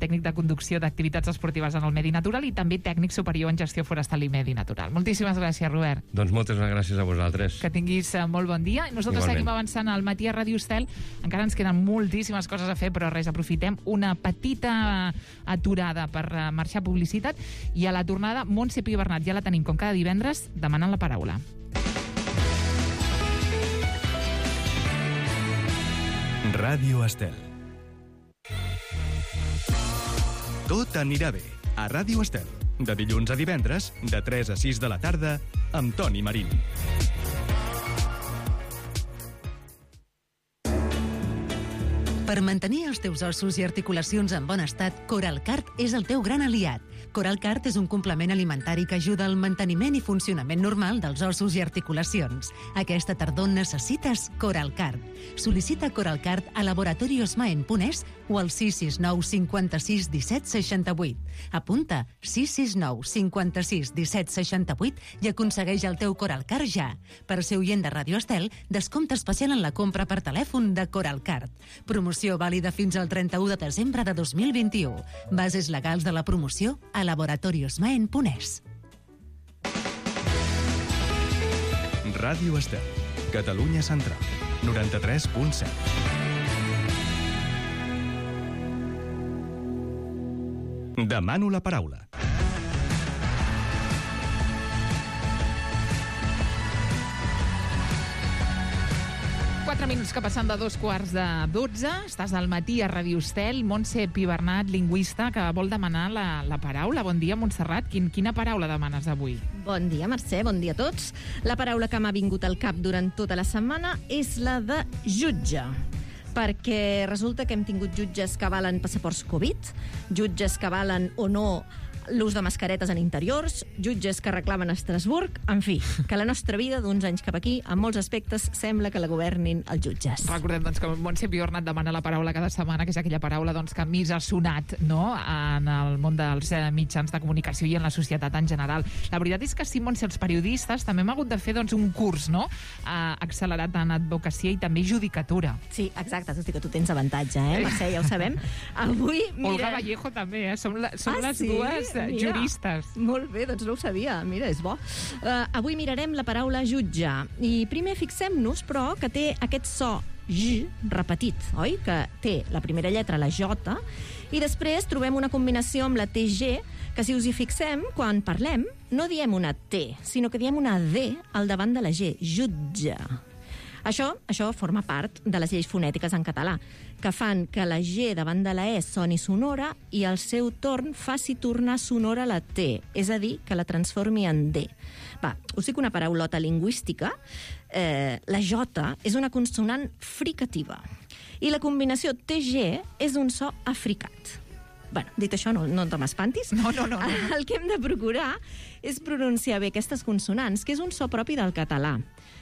tècnic de conducció d'activitats esportives en el medi natural i també tècnic superior en gestió forestal i medi natural. Moltíssimes gràcies, Robert. Doncs moltes gràcies a vosaltres. Que tinguis molt bon dia. I nosaltres seguim avançant al matí a Ràdio Estel. Encara ens queden moltíssimes coses a fer, però res, aprofitem una petita aturada per marxar publicitat i a la tornada Montse Pi Bernat ja la tenim com cada divendres demanant la paraula. Ràdio Estel. Tot anirà bé a Ràdio Estel. De dilluns a divendres, de 3 a 6 de la tarda, amb Toni Marín. Per mantenir els teus ossos i articulacions en bon estat, Coralcart és el teu gran aliat. Coralcart és un complement alimentari que ajuda al manteniment i funcionament normal dels ossos i articulacions. Aquesta tardor necessites Coralcart. Sol·licita Coralcart a laboratoriosmaen.es o al 669 56 17 68. Apunta 669 56 17 68 i aconsegueix el teu Coralcart ja. Per ser oient de Ràdio Estel, descompte especial en la compra per telèfon de Coralcart. Promoció vàlida fins al 31 de desembre de 2021. Bases legals de la promoció a laboratoriosmaen.es. Ràdio Estel, Catalunya Central, 93.7. Demano la paraula. 4 minuts que passen de 2:45. Estàs al matí a Ràdio Estel. Montse Pibernat, lingüista, que vol demanar la paraula. Bon dia, Montserrat. Quina paraula demanes avui? Bon dia, Mercè. Bon dia a tots. La paraula que m'ha vingut al cap durant tota la setmana és la de jutge. Perquè resulta que hem tingut jutges que avalen passaports Covid, jutges que avalen o no l'ús de mascaretes en interiors, jutges que reclamen a Estrasburg, en fi, que la nostra vida d'uns anys cap aquí, en molts aspectes, sembla que la governin els jutges. Recordem doncs, que Montse Pibernat demana la paraula cada setmana, que és aquella paraula doncs, que més ha sonat, no?, en el món dels mitjans de comunicació i en la societat en general. La veritat és que sí, Montse, els periodistes també hem hagut de fer doncs, un curs, no?, accelerat en advocacia i també judicatura. Sí, exacte, tot i que tu tens avantatge, Mercè, ja ho sabem. Avui, mira... Olga Vallejo també, som les dues juristes. Molt bé, doncs no ho sabia. Mira, és bo. Avui mirarem la paraula jutge. I primer fixem-nos, però, que té aquest so J repetit, oi? Que té la primera lletra, la J, i després trobem una combinació amb la TG, que si us hi fixem, quan parlem, no diem una T, sinó que diem una D al davant de la G. Jutge. Això forma part de les lleis fonètiques en català, que fan que la G davant de la E soni sonora i al seu torn faci tornar sonora la T, és a dir, que la transformi en D. Va, us dic una paraulota lingüística. La J és una consonant fricativa i la combinació TG és un so africat. Bueno, dit això, no te m'espantis. No. El que hem de procurar és pronunciar bé aquestes consonants, que és un so propi del català,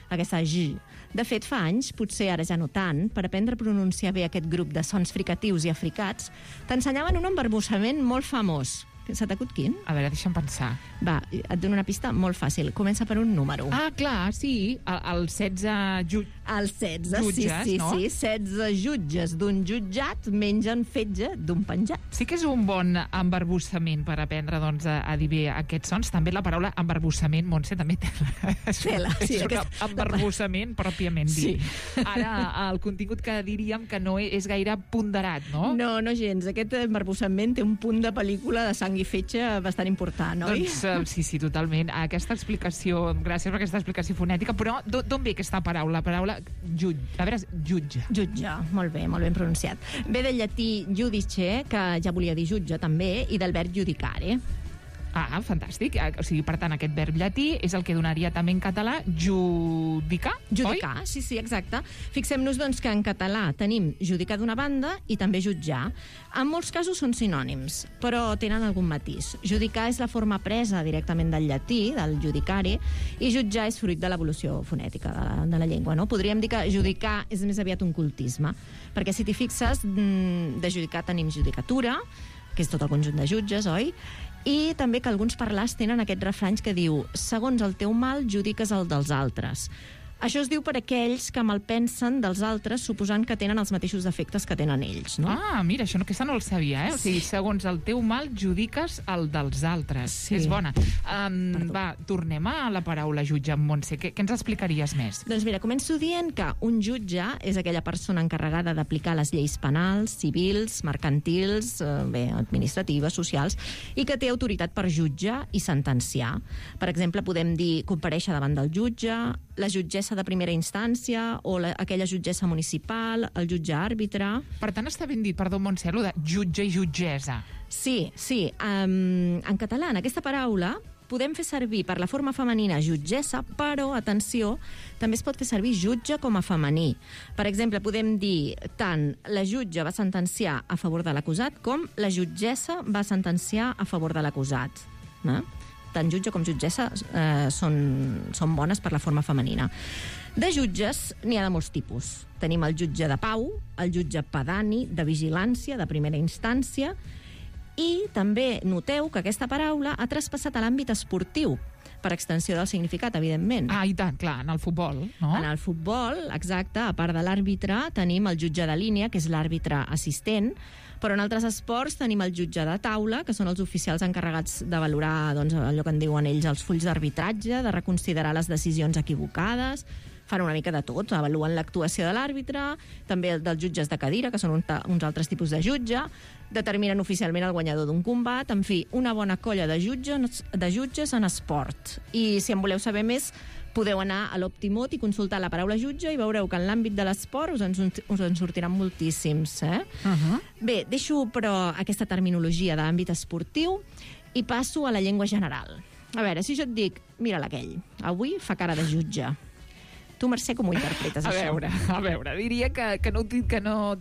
aquesta J. De fet, fa anys, potser ara ja no tant, per aprendre a pronunciar bé aquest grup de sons fricatius i africats, t'ensenyaven un embarbussament molt famós. Se t'acut quin? A veure, deixa'm pensar. Va, et dono una pista molt fàcil. Comença per un número. Ah, clar, sí. El 16 jutges. El 16, sí, no? Sí. 16 jutges d'un jutjat mengen fetge d'un penjat. Sí que és un bon embarbussament per aprendre doncs, a dir bé aquests sons. També la paraula embarbussament, Montse, també té és un embarbussament pròpiament dit. Sí. Ara, el contingut que diríem que no és gaire ponderat, no? No gens. Aquest embarbussament té un punt de pel·lícula de sang i fetge bastant important, oi? Doncs sí, totalment. Gràcies per aquesta explicació fonètica, però d'on ve aquesta paraula? La paraula jutge. A veure, jutge. Jutge, molt ben pronunciat. Ve del llatí judice, que ja volia dir jutge també, i del verb judicare. Ah, fantàstic. O sigui, per tant, aquest verb llatí és el que donaria també en català judicar, judicar, oi? Sí, exacte. Fixem-nos, doncs, que en català tenim judicar d'una banda i també jutjar. En molts casos són sinònims, però tenen algun matís. Judicar és la forma presa directament del llatí, del judicare, i jutjar és fruit de l'evolució fonètica de la llengua, no? Podríem dir que judicar és més aviat un cultisme, perquè si t'hi fixes, de judicar tenim judicatura, que és tot el conjunt de jutges, oi? I també que alguns parlars tenen aquest refrany que diu segons el teu mal judiques el dels altres. Això es diu per aquells que malpensen dels altres suposant que tenen els mateixos defectes que tenen ells, no? Ah, mira, aquesta no el sabia, O sigui, segons el teu mal judiques el dels altres. Sí. És bona. Va, tornem a la paraula jutge, Montse. Què ens explicaries més? Doncs mira, començo dient que un jutge és aquella persona encarregada d'aplicar les lleis penals, civils, mercantils, administratives, socials, i que té autoritat per jutjar i sentenciar. Per exemple, podem dir comparèixer davant del jutge, la jutgessa de primera instància o aquella jutgessa municipal, el jutge àrbitre... Per tant, està ben dit, perdó, Montse, de jutge i jutgessa. Sí. En català, en aquesta paraula, podem fer servir per la forma femenina jutgessa, però, atenció, també es pot fer servir jutge com a femení. Per exemple, podem dir tant la jutge va sentenciar a favor de l'acusat com la jutgessa va sentenciar a favor de l'acusat. Tant jutge com jutgessa són bones per la forma femenina. De jutges n'hi ha de molts tipus. Tenim el jutge de pau, el jutge pedani, de vigilància, de primera instància, i també noteu que aquesta paraula ha traspassat a l'àmbit esportiu, per extensió del significat, evidentment. Ah, i tant, clar, en el futbol, no? En el futbol, exacte, a part de l'àrbitre, tenim el jutge de línia, que és l'àrbitre assistent, però en altres esports tenim el jutge de taula, que són els oficials encarregats de valorar allò que en diuen ells els fulls d'arbitratge, de reconsiderar les decisions equivocades, fan una mica de tot, avaluen l'actuació de l'àrbitre, també dels jutges de cadira, que són uns altres tipus de jutge, determinen oficialment el guanyador d'un combat, en fi, una bona colla de jutges en esport. I si en voleu saber més, Podeu anar a l'Optimot i consultar la paraula jutge i veureu que en l'àmbit de l'esport us en sortiran moltíssims. Bé, deixo però aquesta terminologia de l'àmbit esportiu i passo a la llengua general. A veure, si jo et dic, mira aquell, avui fa cara de jutge. Tu, Mercè, com ho interpretes, això? A veure, diria que no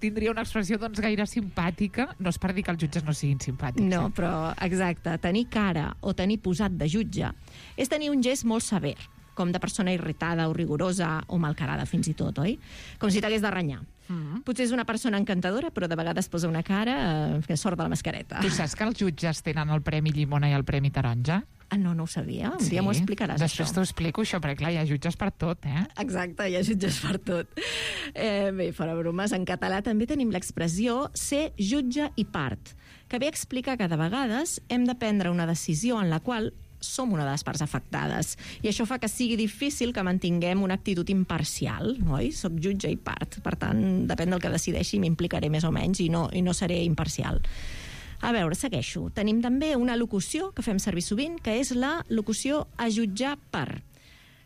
tindria una expressió doncs gaire simpàtica. No és per dir que els jutges no siguin simpàtics. No, però, exacte, tenir cara o tenir posat de jutge és tenir un gest molt sever, com de persona irritada o rigorosa o malcarada, fins i tot, oi? Com si t'hagués de renyar. Potser és una persona encantadora, però de vegades posa una cara que sort de la mascareta. Tu saps que els jutges tenen el Premi Llimona i el Premi Taronja? Ah, no ho sabia. Un dia m'ho explicaràs, Després t'ho explico, això, perquè clar, hi ha jutges per tot, Exacte, hi ha jutges per tot. Bé, fora bromes, en català també tenim l'expressió ser jutge i part, que ve a explicar que de vegades hem de prendre una decisió en la qual som una de les parts afectades. I això fa que sigui difícil que mantinguem una actitud imparcial, oi? Soc jutge i part. Per tant, depèn del que decideixi, m'implicaré més o menys i no seré imparcial. A veure, segueixo. Tenim també una locució que fem servir sovint, que és la locució a jutjar per,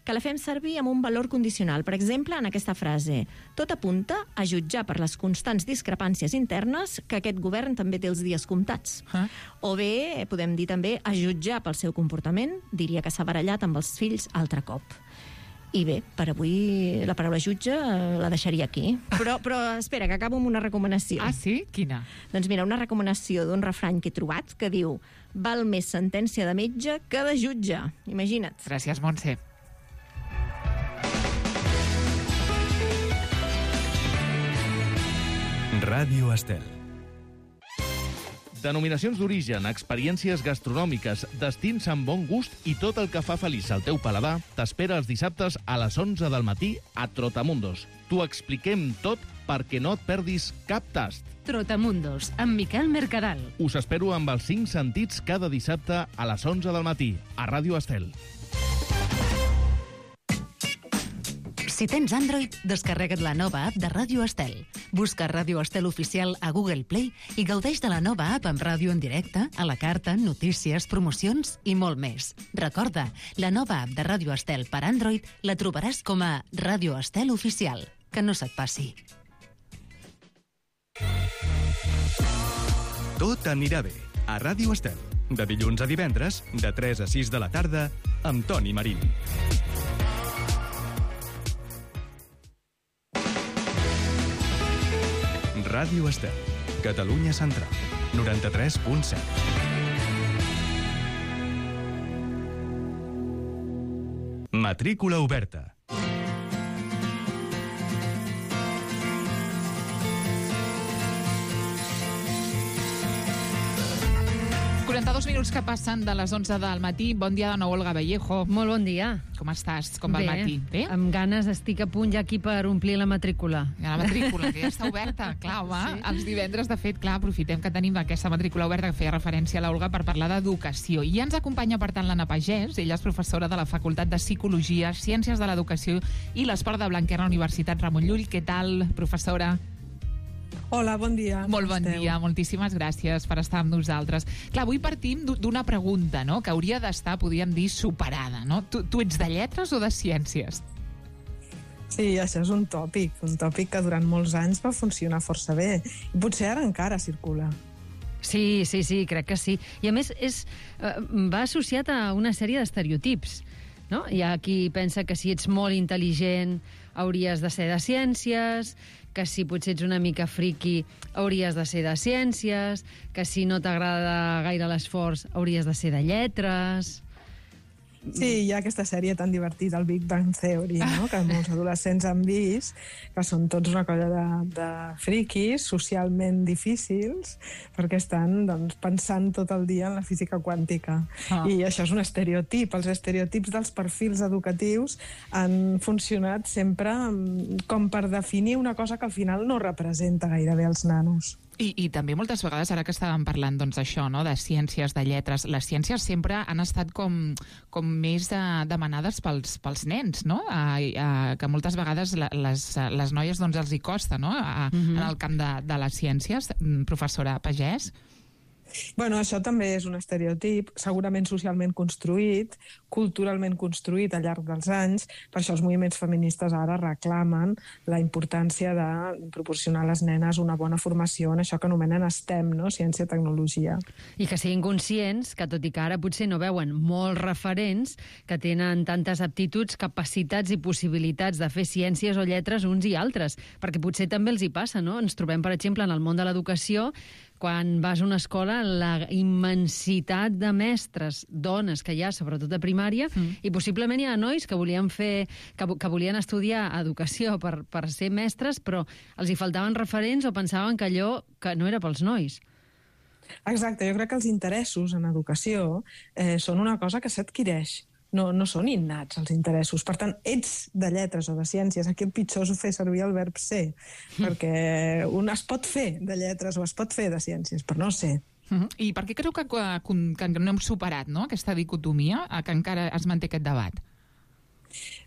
que la fem servir amb un valor condicional. Per exemple, en aquesta frase, tot apunta a jutjar per les constants discrepàncies internes que aquest govern també té els dies comptats. O bé, podem dir també a jutjar pel seu comportament, diria que s'ha barallat amb els fills altre cop. I bé, per avui la paraula jutge la deixaria aquí. Però espera, que acabo amb una recomanació. Ah, sí? Quina? Doncs mira, una recomanació d'un refrany que he trobat que diu: val més sentència de metge que de jutge. Imagina't. Gràcies, Montse. Ràdio Estel. Denominacions d'origen, experiències gastronòmiques, destins amb bon gust i tot el que fa feliç al teu paladar t'espera els dissabtes a les 11 del matí a Trotamundos. T'ho expliquem tot perquè no et perdis cap tast. Trotamundos, amb Miquel Mercadal. Us espero amb els 5 sentits cada dissabte a les 11 del matí a Ràdio Estel. Si tens Android, descarrega't la nova app de Ràdio Estel. Busca Ràdio Estel Oficial a Google Play i gaudeix de la nova app amb ràdio en directe, a la carta, notícies, promocions i molt més. Recorda, la nova app de Ràdio Estel per Android la trobaràs com a Ràdio Estel Oficial. Que no se't passi. Tot anirà bé a Ràdio Estel. De dilluns a divendres, de 3 a 6 de la tarda, amb Toni Marín. Ràdio Estel, Catalunya Central, 93.7. Matrícula oberta. 42 minuts que passen de les 11 del matí. Bon dia de nou, Olga Vallejo. Molt bon dia. Com estàs? Com va el matí? Bé? Amb ganes, estic a punt ja aquí per omplir la matrícula. La matrícula, que ja està oberta. Clar, home, sí. Els divendres, de fet, clar, aprofitem que tenim aquesta matrícula oberta que feia referència a l'Olga per parlar d'educació. I ja ens acompanya, per tant, l'Anna Pagès. Ella és professora de la Facultat de Psicologia, Ciències de l'Educació i l'Esport de Blanquer a la Universitat Ramon Llull. Què tal, professora? Hola, bon dia. Molt bon dia, moltíssimes gràcies per estar amb nosaltres. Clar, avui partim d'una pregunta, no?, que hauria d'estar, podríem dir, superada, no? Tu ets de lletres o de ciències? Sí, això és un tòpic que durant molts anys va funcionar força bé. I potser ara encara circula. Sí, crec que sí. I a més va associat a una sèrie d'estereotips, no? Hi ha qui pensa que si ets molt intel·ligent hauries de ser de ciències, que si potser ets una mica friqui hauries de ser de ciències, que si no t'agrada gaire l'esforç hauries de ser de lletres. Sí, hi ha aquesta sèrie tan divertida, el Big Bang Theory, no?, que molts adolescents han vist, que són tots una colla de friquis socialment difícils, perquè estan pensant tot el dia en la física quàntica. I això és un estereotip. Els estereotips dels perfils educatius han funcionat sempre com per definir una cosa que al final no representa gairebé els nanos. I també moltes vegades, ara que estàvem parlant d'això, no?, de ciències, de lletres, les ciències sempre han estat com més demanades pels nens, no?, que moltes vegades les noies els hi costa, no?, en el camp de les ciències. Professora Pagès? Bueno, això també és un estereotip, segurament socialment construït, culturalment construït al llarg dels anys. Per això els moviments feministes ara reclamen la importància de proporcionar a les nenes una bona formació en això que anomenen STEM, no? Ciència, tecnologia. I que siguin conscients que, tot i que ara potser no veuen molts referents que tenen tantes aptituds, capacitats i possibilitats de fer ciències o lletres uns i altres, perquè potser també els hi passa, no? Ens trobem, per exemple, en el món de l'educació, quan vas a una escola, la immensitat de mestres, dones que hi ha, sobretot a primària, i possiblement hi ha nois que volien volien estudiar educació per ser mestres, però els hi faltaven referents o pensaven que allò que no era pels nois. Exacte, jo crec que els interessos en educació són una cosa que s'adquireix. No són innats, els interessos. Per tant, ets de lletres o de ciències. Aquí el pitjor és fer servir el verb ser, perquè un es pot fer de lletres o es pot fer de ciències, però no ser. I per què creu que no hem superat, no?, aquesta dicotomia, que encara es manté aquest debat?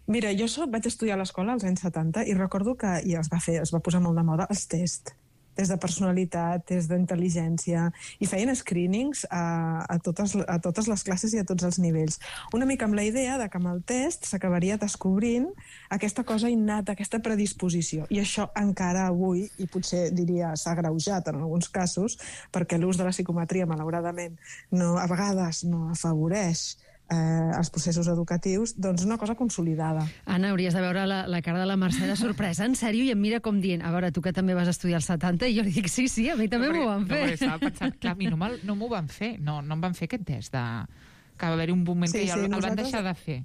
Mira, jo vaig estudiar a l'escola als anys 70 i recordo que es va posar molt de moda els tests. Des de personalitat, des d'intel·ligència, i feien screenings a totes les classes i a tots els nivells. Una mica amb la idea de que amb el test s'acabaria descobrint aquesta cosa innata, aquesta predisposició. I això encara avui, i potser diria s'ha agreujat en alguns casos, perquè l'ús de la psicometria, malauradament, a vegades no afavoreix els processos educatius, doncs una cosa consolidada. Anna, hauries de veure la cara de la Mercè de sorpresa, en sèrio, i em mira com dient, a veure, tu que també vas estudiar als 70, i jo li dic, sí, a mi també m'ho van fer. No, estava pensant, clar, a mi no m'ho van fer, no em van fer aquest test, que va haver-hi un moment que el van deixar de fer.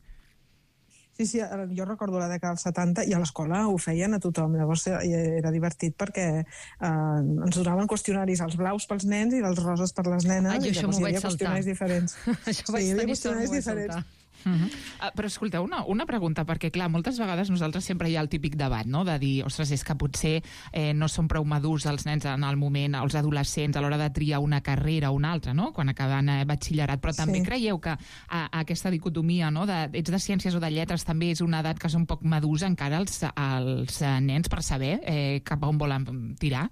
Sí, jo recordo la dècada dels 70 i a l'escola ho feien a tothom. Llavors era divertit perquè ens donaven qüestionaris, els blaus pels nens i els roses per les nenes. Jo això m'ho vaig saltar. Això vaig tenir sort, m'ho vaig saltar. Però escolteu, una pregunta, perquè clar, moltes vegades nosaltres sempre hi ha el típic debat, no?, de dir, ostres, és que potser no són prou madurs els nens en el moment, els adolescents, a l'hora de triar una carrera o una altra, no?, quan acaben batxillerat, però també creieu que aquesta dicotomia, no?, ets de ciències o de lletres, també és una edat que és un poc madurs encara els nens per saber cap a on volen tirar?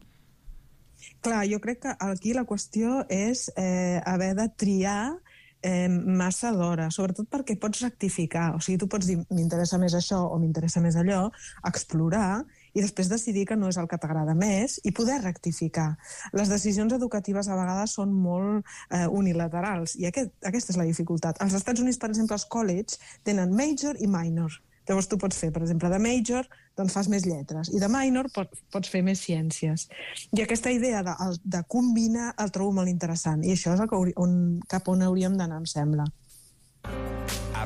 Clar, jo crec que aquí la qüestió és haver de triar massa d'hora, sobretot perquè pots rectificar. O sigui, tu pots dir, m'interessa més això o m'interessa més allò, explorar i després decidir que no és el que t'agrada més i poder rectificar. Les decisions educatives a vegades són molt unilaterals i aquesta és la dificultat. Als Estats Units, per exemple, els colleges tenen major i minor. Llavors tu pots fer, per exemple, de major, doncs fas més lletres, i de minor pots fer més ciències. I aquesta idea de combinar el trobo molt interessant, i això és cap on hauríem d'anar, em sembla.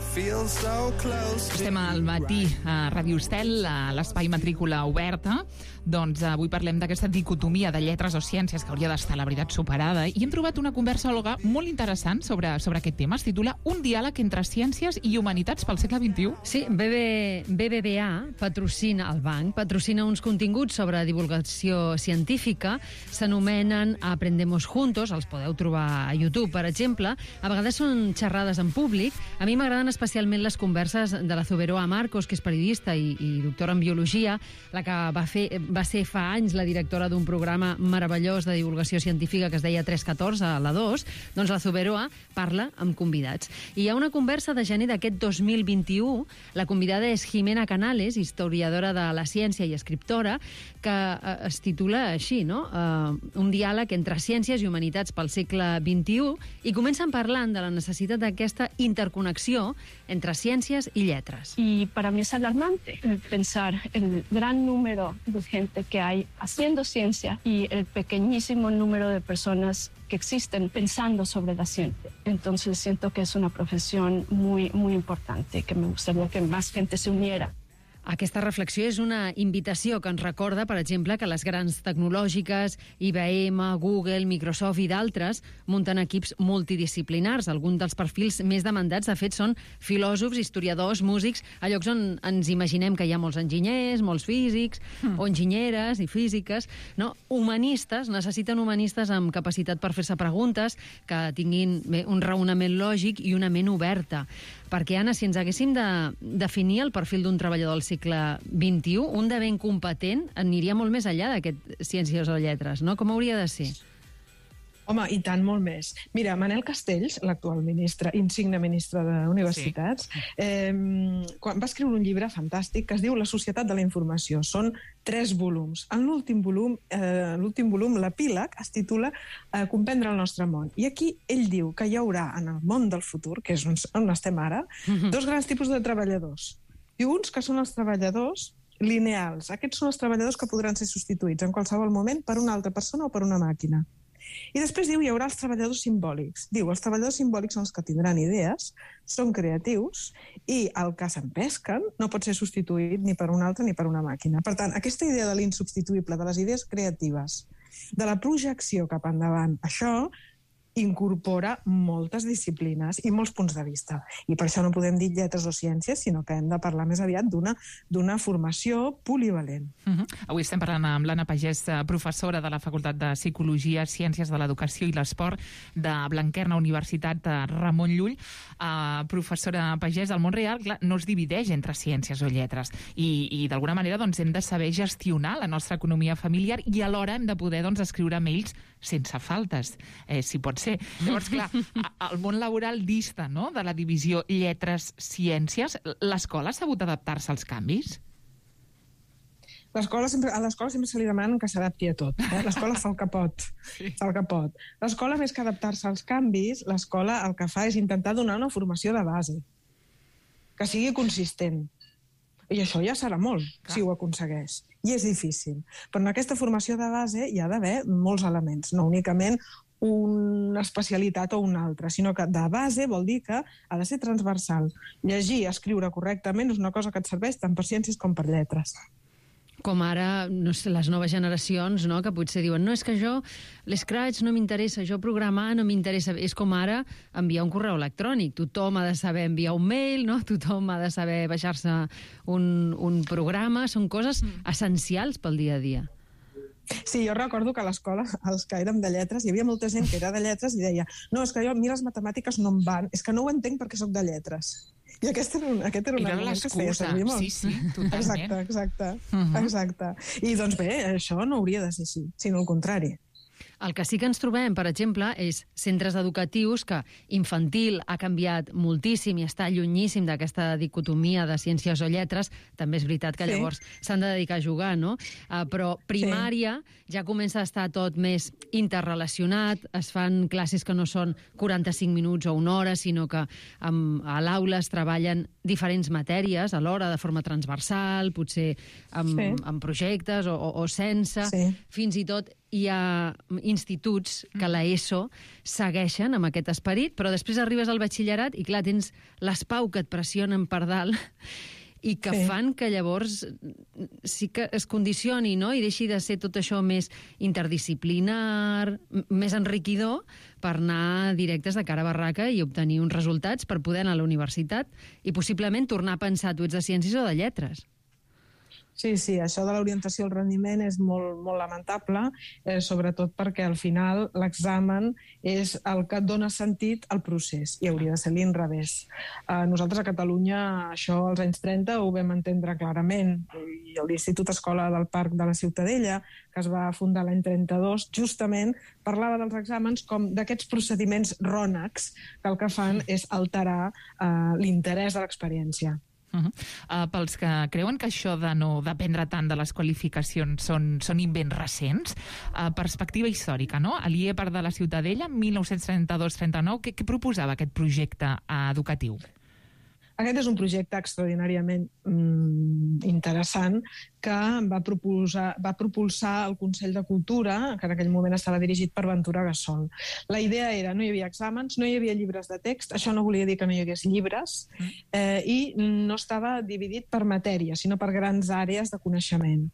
Estem al matí a Ràdio Estel, a l'espai matrícula oberta. Doncs avui parlem d'aquesta dicotomia de lletres o ciències que hauria d'estar, la veritat, superada, i hem trobat una conversòloga molt interessant sobre aquest tema. Es titula Un diàleg entre ciències i humanitats pel segle XXI. Sí, BBVA patrocina el banc, patrocina uns continguts sobre divulgació científica, s'anomenen Aprendemos Juntos, els podeu trobar a YouTube, per exemple. A vegades són xerrades en públic. A mi m'agraden especialment les converses de la Zuberoa Marcos, que és periodista i doctora en biologia, la que va ser fa anys la directora d'un programa meravellós de divulgació científica que es deia 314, a la 2, doncs la Zuberoa parla amb convidats. I hi ha una conversa de gener d'aquest 2021, la convidada és Jimena Canales, historiadora de la ciència i escriptora, que es titula així, no? Un diàleg entre ciències i humanitats pel segle XXI, i comencen parlant de la necessitat d'aquesta interconnexió entre ciències y letras. Y para mí es alarmante pensar el gran número de gente que hay haciendo ciencia y el pequeñísimo número de personas que existen pensando sobre la ciencia. Entonces siento que es una profesión muy, muy importante, que me gustaría que más gente se uniera. Aquesta reflexió és una invitació que ens recorda, per exemple, que les grans tecnològiques, IBM, Google, Microsoft i d'altres, munten equips multidisciplinars. Alguns dels perfils més demandats, de fet, són filòsofs, historiadors, músics, a llocs on ens imaginem que hi ha molts enginyers, molts físics, o enginyeres i físiques. No? Humanistes, necessiten humanistes amb capacitat per fer-se preguntes, que tinguin un raonament lògic i una ment oberta. Perquè, Anna, si ens haguéssim de definir el perfil d'un treballador del segle XXI, un de ben competent aniria molt més enllà d'aquest ciències o lletres, no? Com hauria de ser? Home, i tant, molt més. Mira, Manel Castells, l'actual ministre, insigne ministre d'Universitats, quan va escriure un llibre fantàstic que es diu La societat de la informació. Són 3 volums. En l'últim volum, l'epíleg, es titula Comprendre el nostre món. I aquí ell diu que hi haurà en el món del futur, que és on estem ara, 2 grans tipus de treballadors. I uns que són els treballadors lineals. Aquests són els treballadors que podran ser substituïts en qualsevol moment per una altra persona o per una màquina. I després diu, hi haurà els treballadors simbòlics. Diu, els treballadors simbòlics són els que tindran idees, són creatius, i el que s'empesquen no pot ser substituït ni per un altre ni per una màquina. Per tant, aquesta idea de l'insubstituïble, de les idees creatives, de la projecció cap endavant, això incorpora moltes disciplines i molts punts de vista. I per això no podem dir lletres o ciències, sinó que hem de parlar més aviat d'una formació polivalent. Avui estem parlant amb l'Anna Pagès, professora de la Facultat de Psicologia, Ciències de l'Educació i l'Esport de Blanquerna, Universitat Ramon Llull. Professora Pagès, el món real no es divideix entre ciències o lletres i d'alguna manera hem de saber gestionar la nostra economia familiar i alhora hem de poder escriure mails sense faltes, si pot ser. Llavors, clar, el món laboral dista de la divisió lletres-ciències. L'escola ha sabut adaptar-se als canvis? A l'escola sempre se li demanen que s'adapti a tot. L'escola fa el que pot. L'escola, més que adaptar-se als canvis, l'escola el que fa és intentar donar una formació de base, que sigui consistent. I això ja serà molt, si ho aconsegueix. I és difícil. Però en aquesta formació de base hi ha d'haver molts elements, no únicament una especialitat o una altra, sinó que de base vol dir que ha de ser transversal. Llegir i escriure correctament és una cosa que et serveix tant per ciències com per lletres. Com ara, no sé, les noves generacions, no?, que potser diuen, no, és que jo, l'Scratch no m'interessa, jo programar no m'interessa. És com ara enviar un correu electrònic. Tothom ha de saber enviar un mail, no? Tothom ha de saber baixar-se un programa. Són coses essencials pel dia a dia. Sí, jo recordo que a l'escola, els que érem de lletres, hi havia molta gent que era de lletres i deia, no, és que jo, a mi les matemàtiques no em van, és que no ho entenc perquè sóc de lletres. I aquest era un argument que es feia servir molt. Sí, totalment. Exacte. I doncs bé, això no hauria de ser així, sinó al contrari. El que sí que ens trobem, per exemple, és centres educatius que infantil ha canviat moltíssim i està llunyíssim d'aquesta dicotomia de ciències o lletres. També és veritat que llavors s'han de dedicar a jugar, no? Però primària ja comença a estar tot més interrelacionat, es fan classes que no són 45 minuts o una hora, sinó que a l'aula es treballen diferents matèries alhora, de forma transversal, potser amb projectes o sense. Fins i tot hi ha instituts que l'ESO segueixen amb aquest esperit, però després arribes al batxillerat i, clar, tens les pau que et pressionen per dalt i que fan que llavors sí que es condicioni, no?, i deixi de ser tot això més interdisciplinar, més enriquidor, per anar directes de cara a barraca i obtenir uns resultats per poder anar a la universitat i possiblement tornar a pensar tu ets de ciències o de lletres. Sí, això de l'orientació al rendiment és molt, molt lamentable, sobretot perquè al final l'examen és el que dona sentit al procés i hauria de ser l'inrevés. Nosaltres a Catalunya això als anys 30 ho vam entendre clarament i l'Institut Escola del Parc de la Ciutadella, que es va fundar l'any 32, justament parlava dels exàmens com d'aquests procediments rònecs que el que fan és alterar l'interès de l'experiència. Pels que creuen que això de no dependre tant de les qualificacions són invents recents, perspectiva històrica, no? A l'IEPAR de la Ciutadella, 1932-39, què proposava aquest projecte educatiu? Aquest és un projecte extraordinàriament interessant que va propulsar el Consell de Cultura, que en aquell moment estava dirigit per Ventura Gassol. La idea era, no hi havia exàmens, no hi havia llibres de text, això no volia dir que no hi hagués llibres, i no estava dividit per matèria, sinó per grans àrees de coneixement.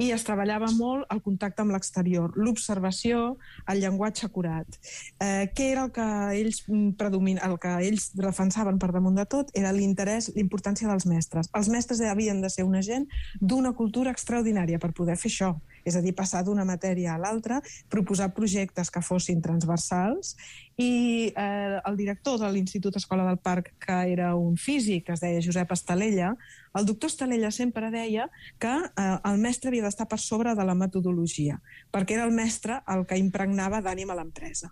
I es treballava molt el contacte amb l'exterior, l'observació, el llenguatge acurat. Què era el que ells defensaven per damunt de tot? Era l'interès, l'importància dels mestres. Els mestres havien de ser una gent d'una cultura extraordinària per poder fer això. és a dir, passar d'una matèria a l'altra, proposar projectes que fossin transversals, i el director de l'Institut Escola del Parc, que era un físic, que es deia Josep Estalella, el doctor Estalella sempre deia que el mestre havia d'estar per sobre de la metodologia, perquè era el mestre el que impregnava d'ànim a l'empresa.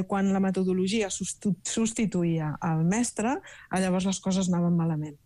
Quan la metodologia substituïa el mestre, llavors les coses anaven malament.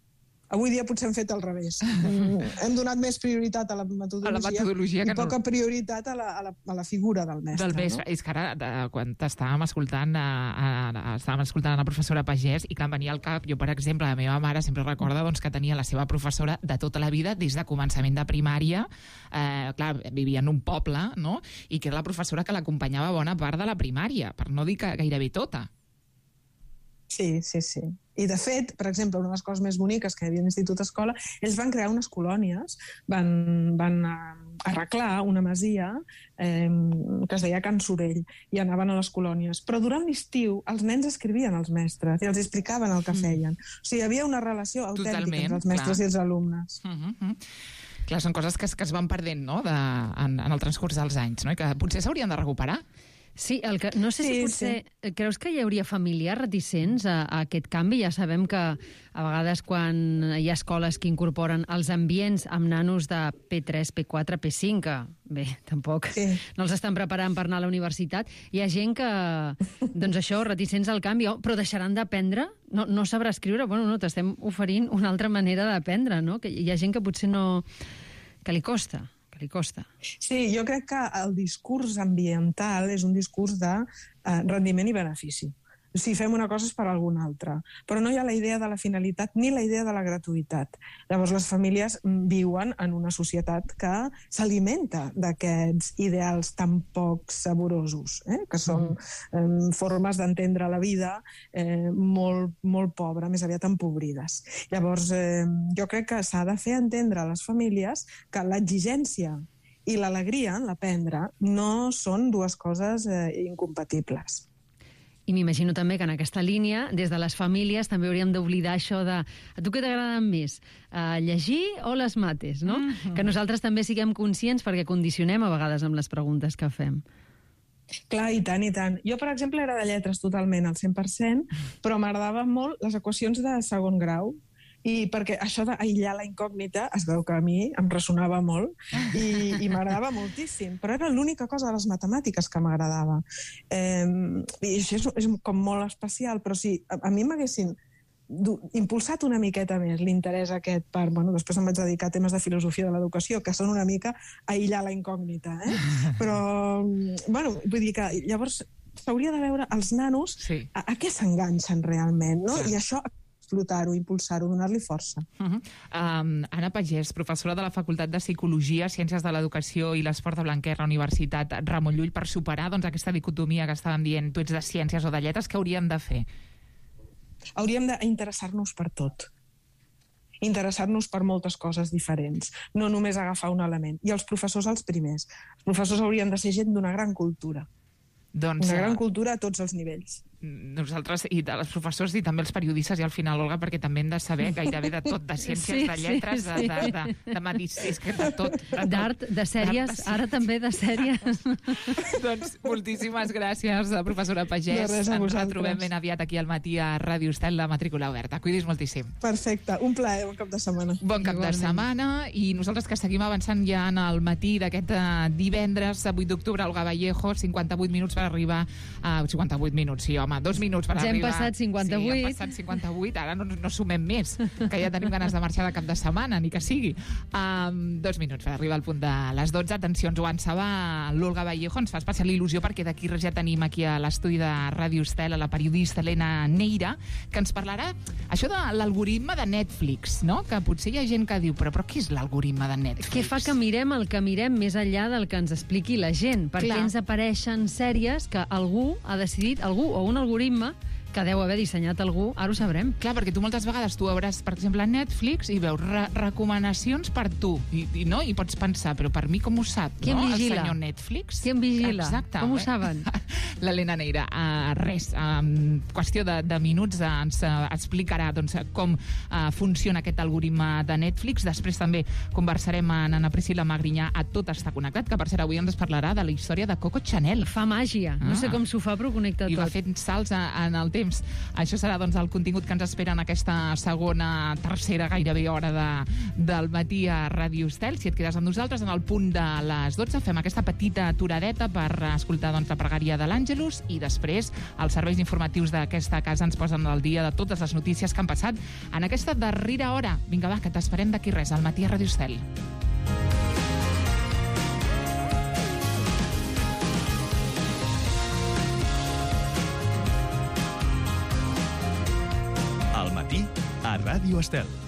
Avui dia potser hem fet al revés. Hem donat més prioritat a la metodologia i poca prioritat a la figura del mestre. No? És que ara, quan estàvem escoltant la professora Pagès, i clar, em venia al cap, jo, per exemple, la meva mare sempre recorda que tenia la seva professora de tota la vida, des de començament de primària, clar, vivia en un poble, no? I que era la professora que l'acompanyava bona part de la primària, per no dir que gairebé tota. Sí. I, de fet, per exemple, una de les coses més boniques que hi havia a l'Institut Escola, ells van crear unes colònies, van arreglar una masia que es deia Can Sorell, i anaven a les colònies. Però durant l'estiu els nens escrivien als mestres i els explicaven el que feien. O sigui, hi havia una relació autèntica entre els mestres i els alumnes. Clar, són coses que es van perdent, no?, en el transcurs dels anys, no?, i que potser s'haurien de recuperar. Sí, no sé si potser... Creus que hi hauria familiars reticents a aquest canvi? Ja sabem que a vegades quan hi ha escoles que incorporen els ambients amb nanos de P3, P4, P5, que bé, tampoc no els estan preparant per anar a la universitat, hi ha gent que, doncs això, reticents al canvi, però deixaran d'aprendre? No sabrà escriure? Bueno, no, t'estem oferint una altra manera d'aprendre, no? Que hi ha gent que potser no... que li costa. Sí, jo crec que el discurs ambiental és un discurs de rendiment i benefici. Si fem una cosa és per alguna altra. Però no hi ha la idea de la finalitat ni la idea de la gratuïtat. Llavors les famílies viuen en una societat que s'alimenta d'aquests ideals tan poc saborosos, que són formes d'entendre la vida molt pobra, més aviat empobrides. Llavors jo crec que s'ha de fer entendre a les famílies que l'exigència i l'alegria en l'aprendre no són dues coses incompatibles. I m'imagino també que en aquesta línia, des de les famílies, també hauríem d'oblidar això de a tu què t'agraden més, llegir o les mates, no? Que nosaltres també siguem conscients perquè condicionem a vegades amb les preguntes que fem. Clar, i tant, i tant. Jo, per exemple, era de lletres totalment al 100%, però m'agradaven molt les equacions de segon grau, i perquè això d'aïllar la incògnita es veu que a mi em ressonava molt i m'agradava moltíssim, però era l'única cosa de les matemàtiques que m'agradava. I això és com molt especial, però si a mi m'haguessin impulsat una miqueta més l'interès aquest per... Bueno, després em vaig dedicar a temes de filosofia de l'educació, que són una mica aïllar la incògnita, Però, bueno, vull dir que llavors s'hauria de veure els nanos a què s'enganxen realment, no? I això explotar-ho, impulsar-ho, donar-li força. Anna Pagès, professora de la Facultat de Psicologia, Ciències de l'Educació i l'Esport de Blanquerna, Universitat Ramon Llull, per superar aquesta dicotomia que estàvem dient, tu ets de ciències o de lletres, què hauríem de fer? Hauríem d'interessar-nos per tot. Interessar-nos per moltes coses diferents, no només agafar un element. I els professors els primers. Els professors haurien de ser gent d'una gran cultura. Una gran cultura a tots els nivells. Nosaltres, i els professors i també els periodistes, i al final, Olga, perquè també hem de saber gairebé de tot, de ciències, de lletres, de medicina, de tot. D'art, de sèries, ara també de sèries. Doncs moltíssimes gràcies, professora Pagès. Ens retrobem ben aviat aquí al matí a Ràdio Estel, la matrícula oberta. Cuidis moltíssim. Perfecte, un plaer, bon cap de setmana. Bon cap de setmana, i nosaltres que seguim avançant ja en el matí d'aquest divendres, 8 d'octubre, Olga Vallejo, 58 minuts per arribar a... 58 minuts, sí, home, 2 minuts per arribar. Ja hem passat 58. Sí, hem passat 58, ara no sumem més, que ja tenim ganes de marxar de cap de setmana, ni que sigui. 2 minuts per arribar al punt de les 12. Atenció, ens ho ansava l'Olga Vallejo, ens fa especial il·lusió perquè d'aquí res ja tenim aquí a l'estudi de Ràdio Estel a la periodista Helena Neira, que ens parlarà això de l'algoritme de Netflix, no? Que potser hi ha gent que diu, però què és l'algoritme de Netflix? Què fa que mirem el que mirem més enllà del que ens expliqui la gent? Per què ens apareixen sèries que algú ha decidit, algú o un algoritme que deu haver dissenyat algú, ara ho sabrem. Clar, perquè tu moltes vegades tu veuràs, per exemple, Netflix i veus recomanacions per tu, i pots pensar, però per mi com ho sap, qui em vigila? El senyor Netflix? Qui em vigila? Exacte. Com ho saben? l'Helena Neira. Res, en qüestió de minuts ens explicarà doncs, com funciona aquest algoritme de Netflix. Després també conversarem amb Ana Priscila Magrinyà a Tot està connectat, que per cert avui ens parlarà de la història de Coco Chanel. Fa màgia. No sé com s'ho fa, però connecta tot. I va fent salts en el temps. Això serà doncs, el contingut que ens espera en aquesta segona, tercera gairebé hora del matí a Ràdio Estel. Si et quedes amb nosaltres, en el punt de les 12 fem aquesta petita aturadeta per escoltar doncs, la pregària de l'Àngelus i després els serveis informatius d'aquesta casa ens posen al dia de totes les notícies que han passat en aquesta darrera hora. Vinga, va, que t'esperem d'aquí res, al matí a Ràdio Estel. Al matí a Ràdio Estel.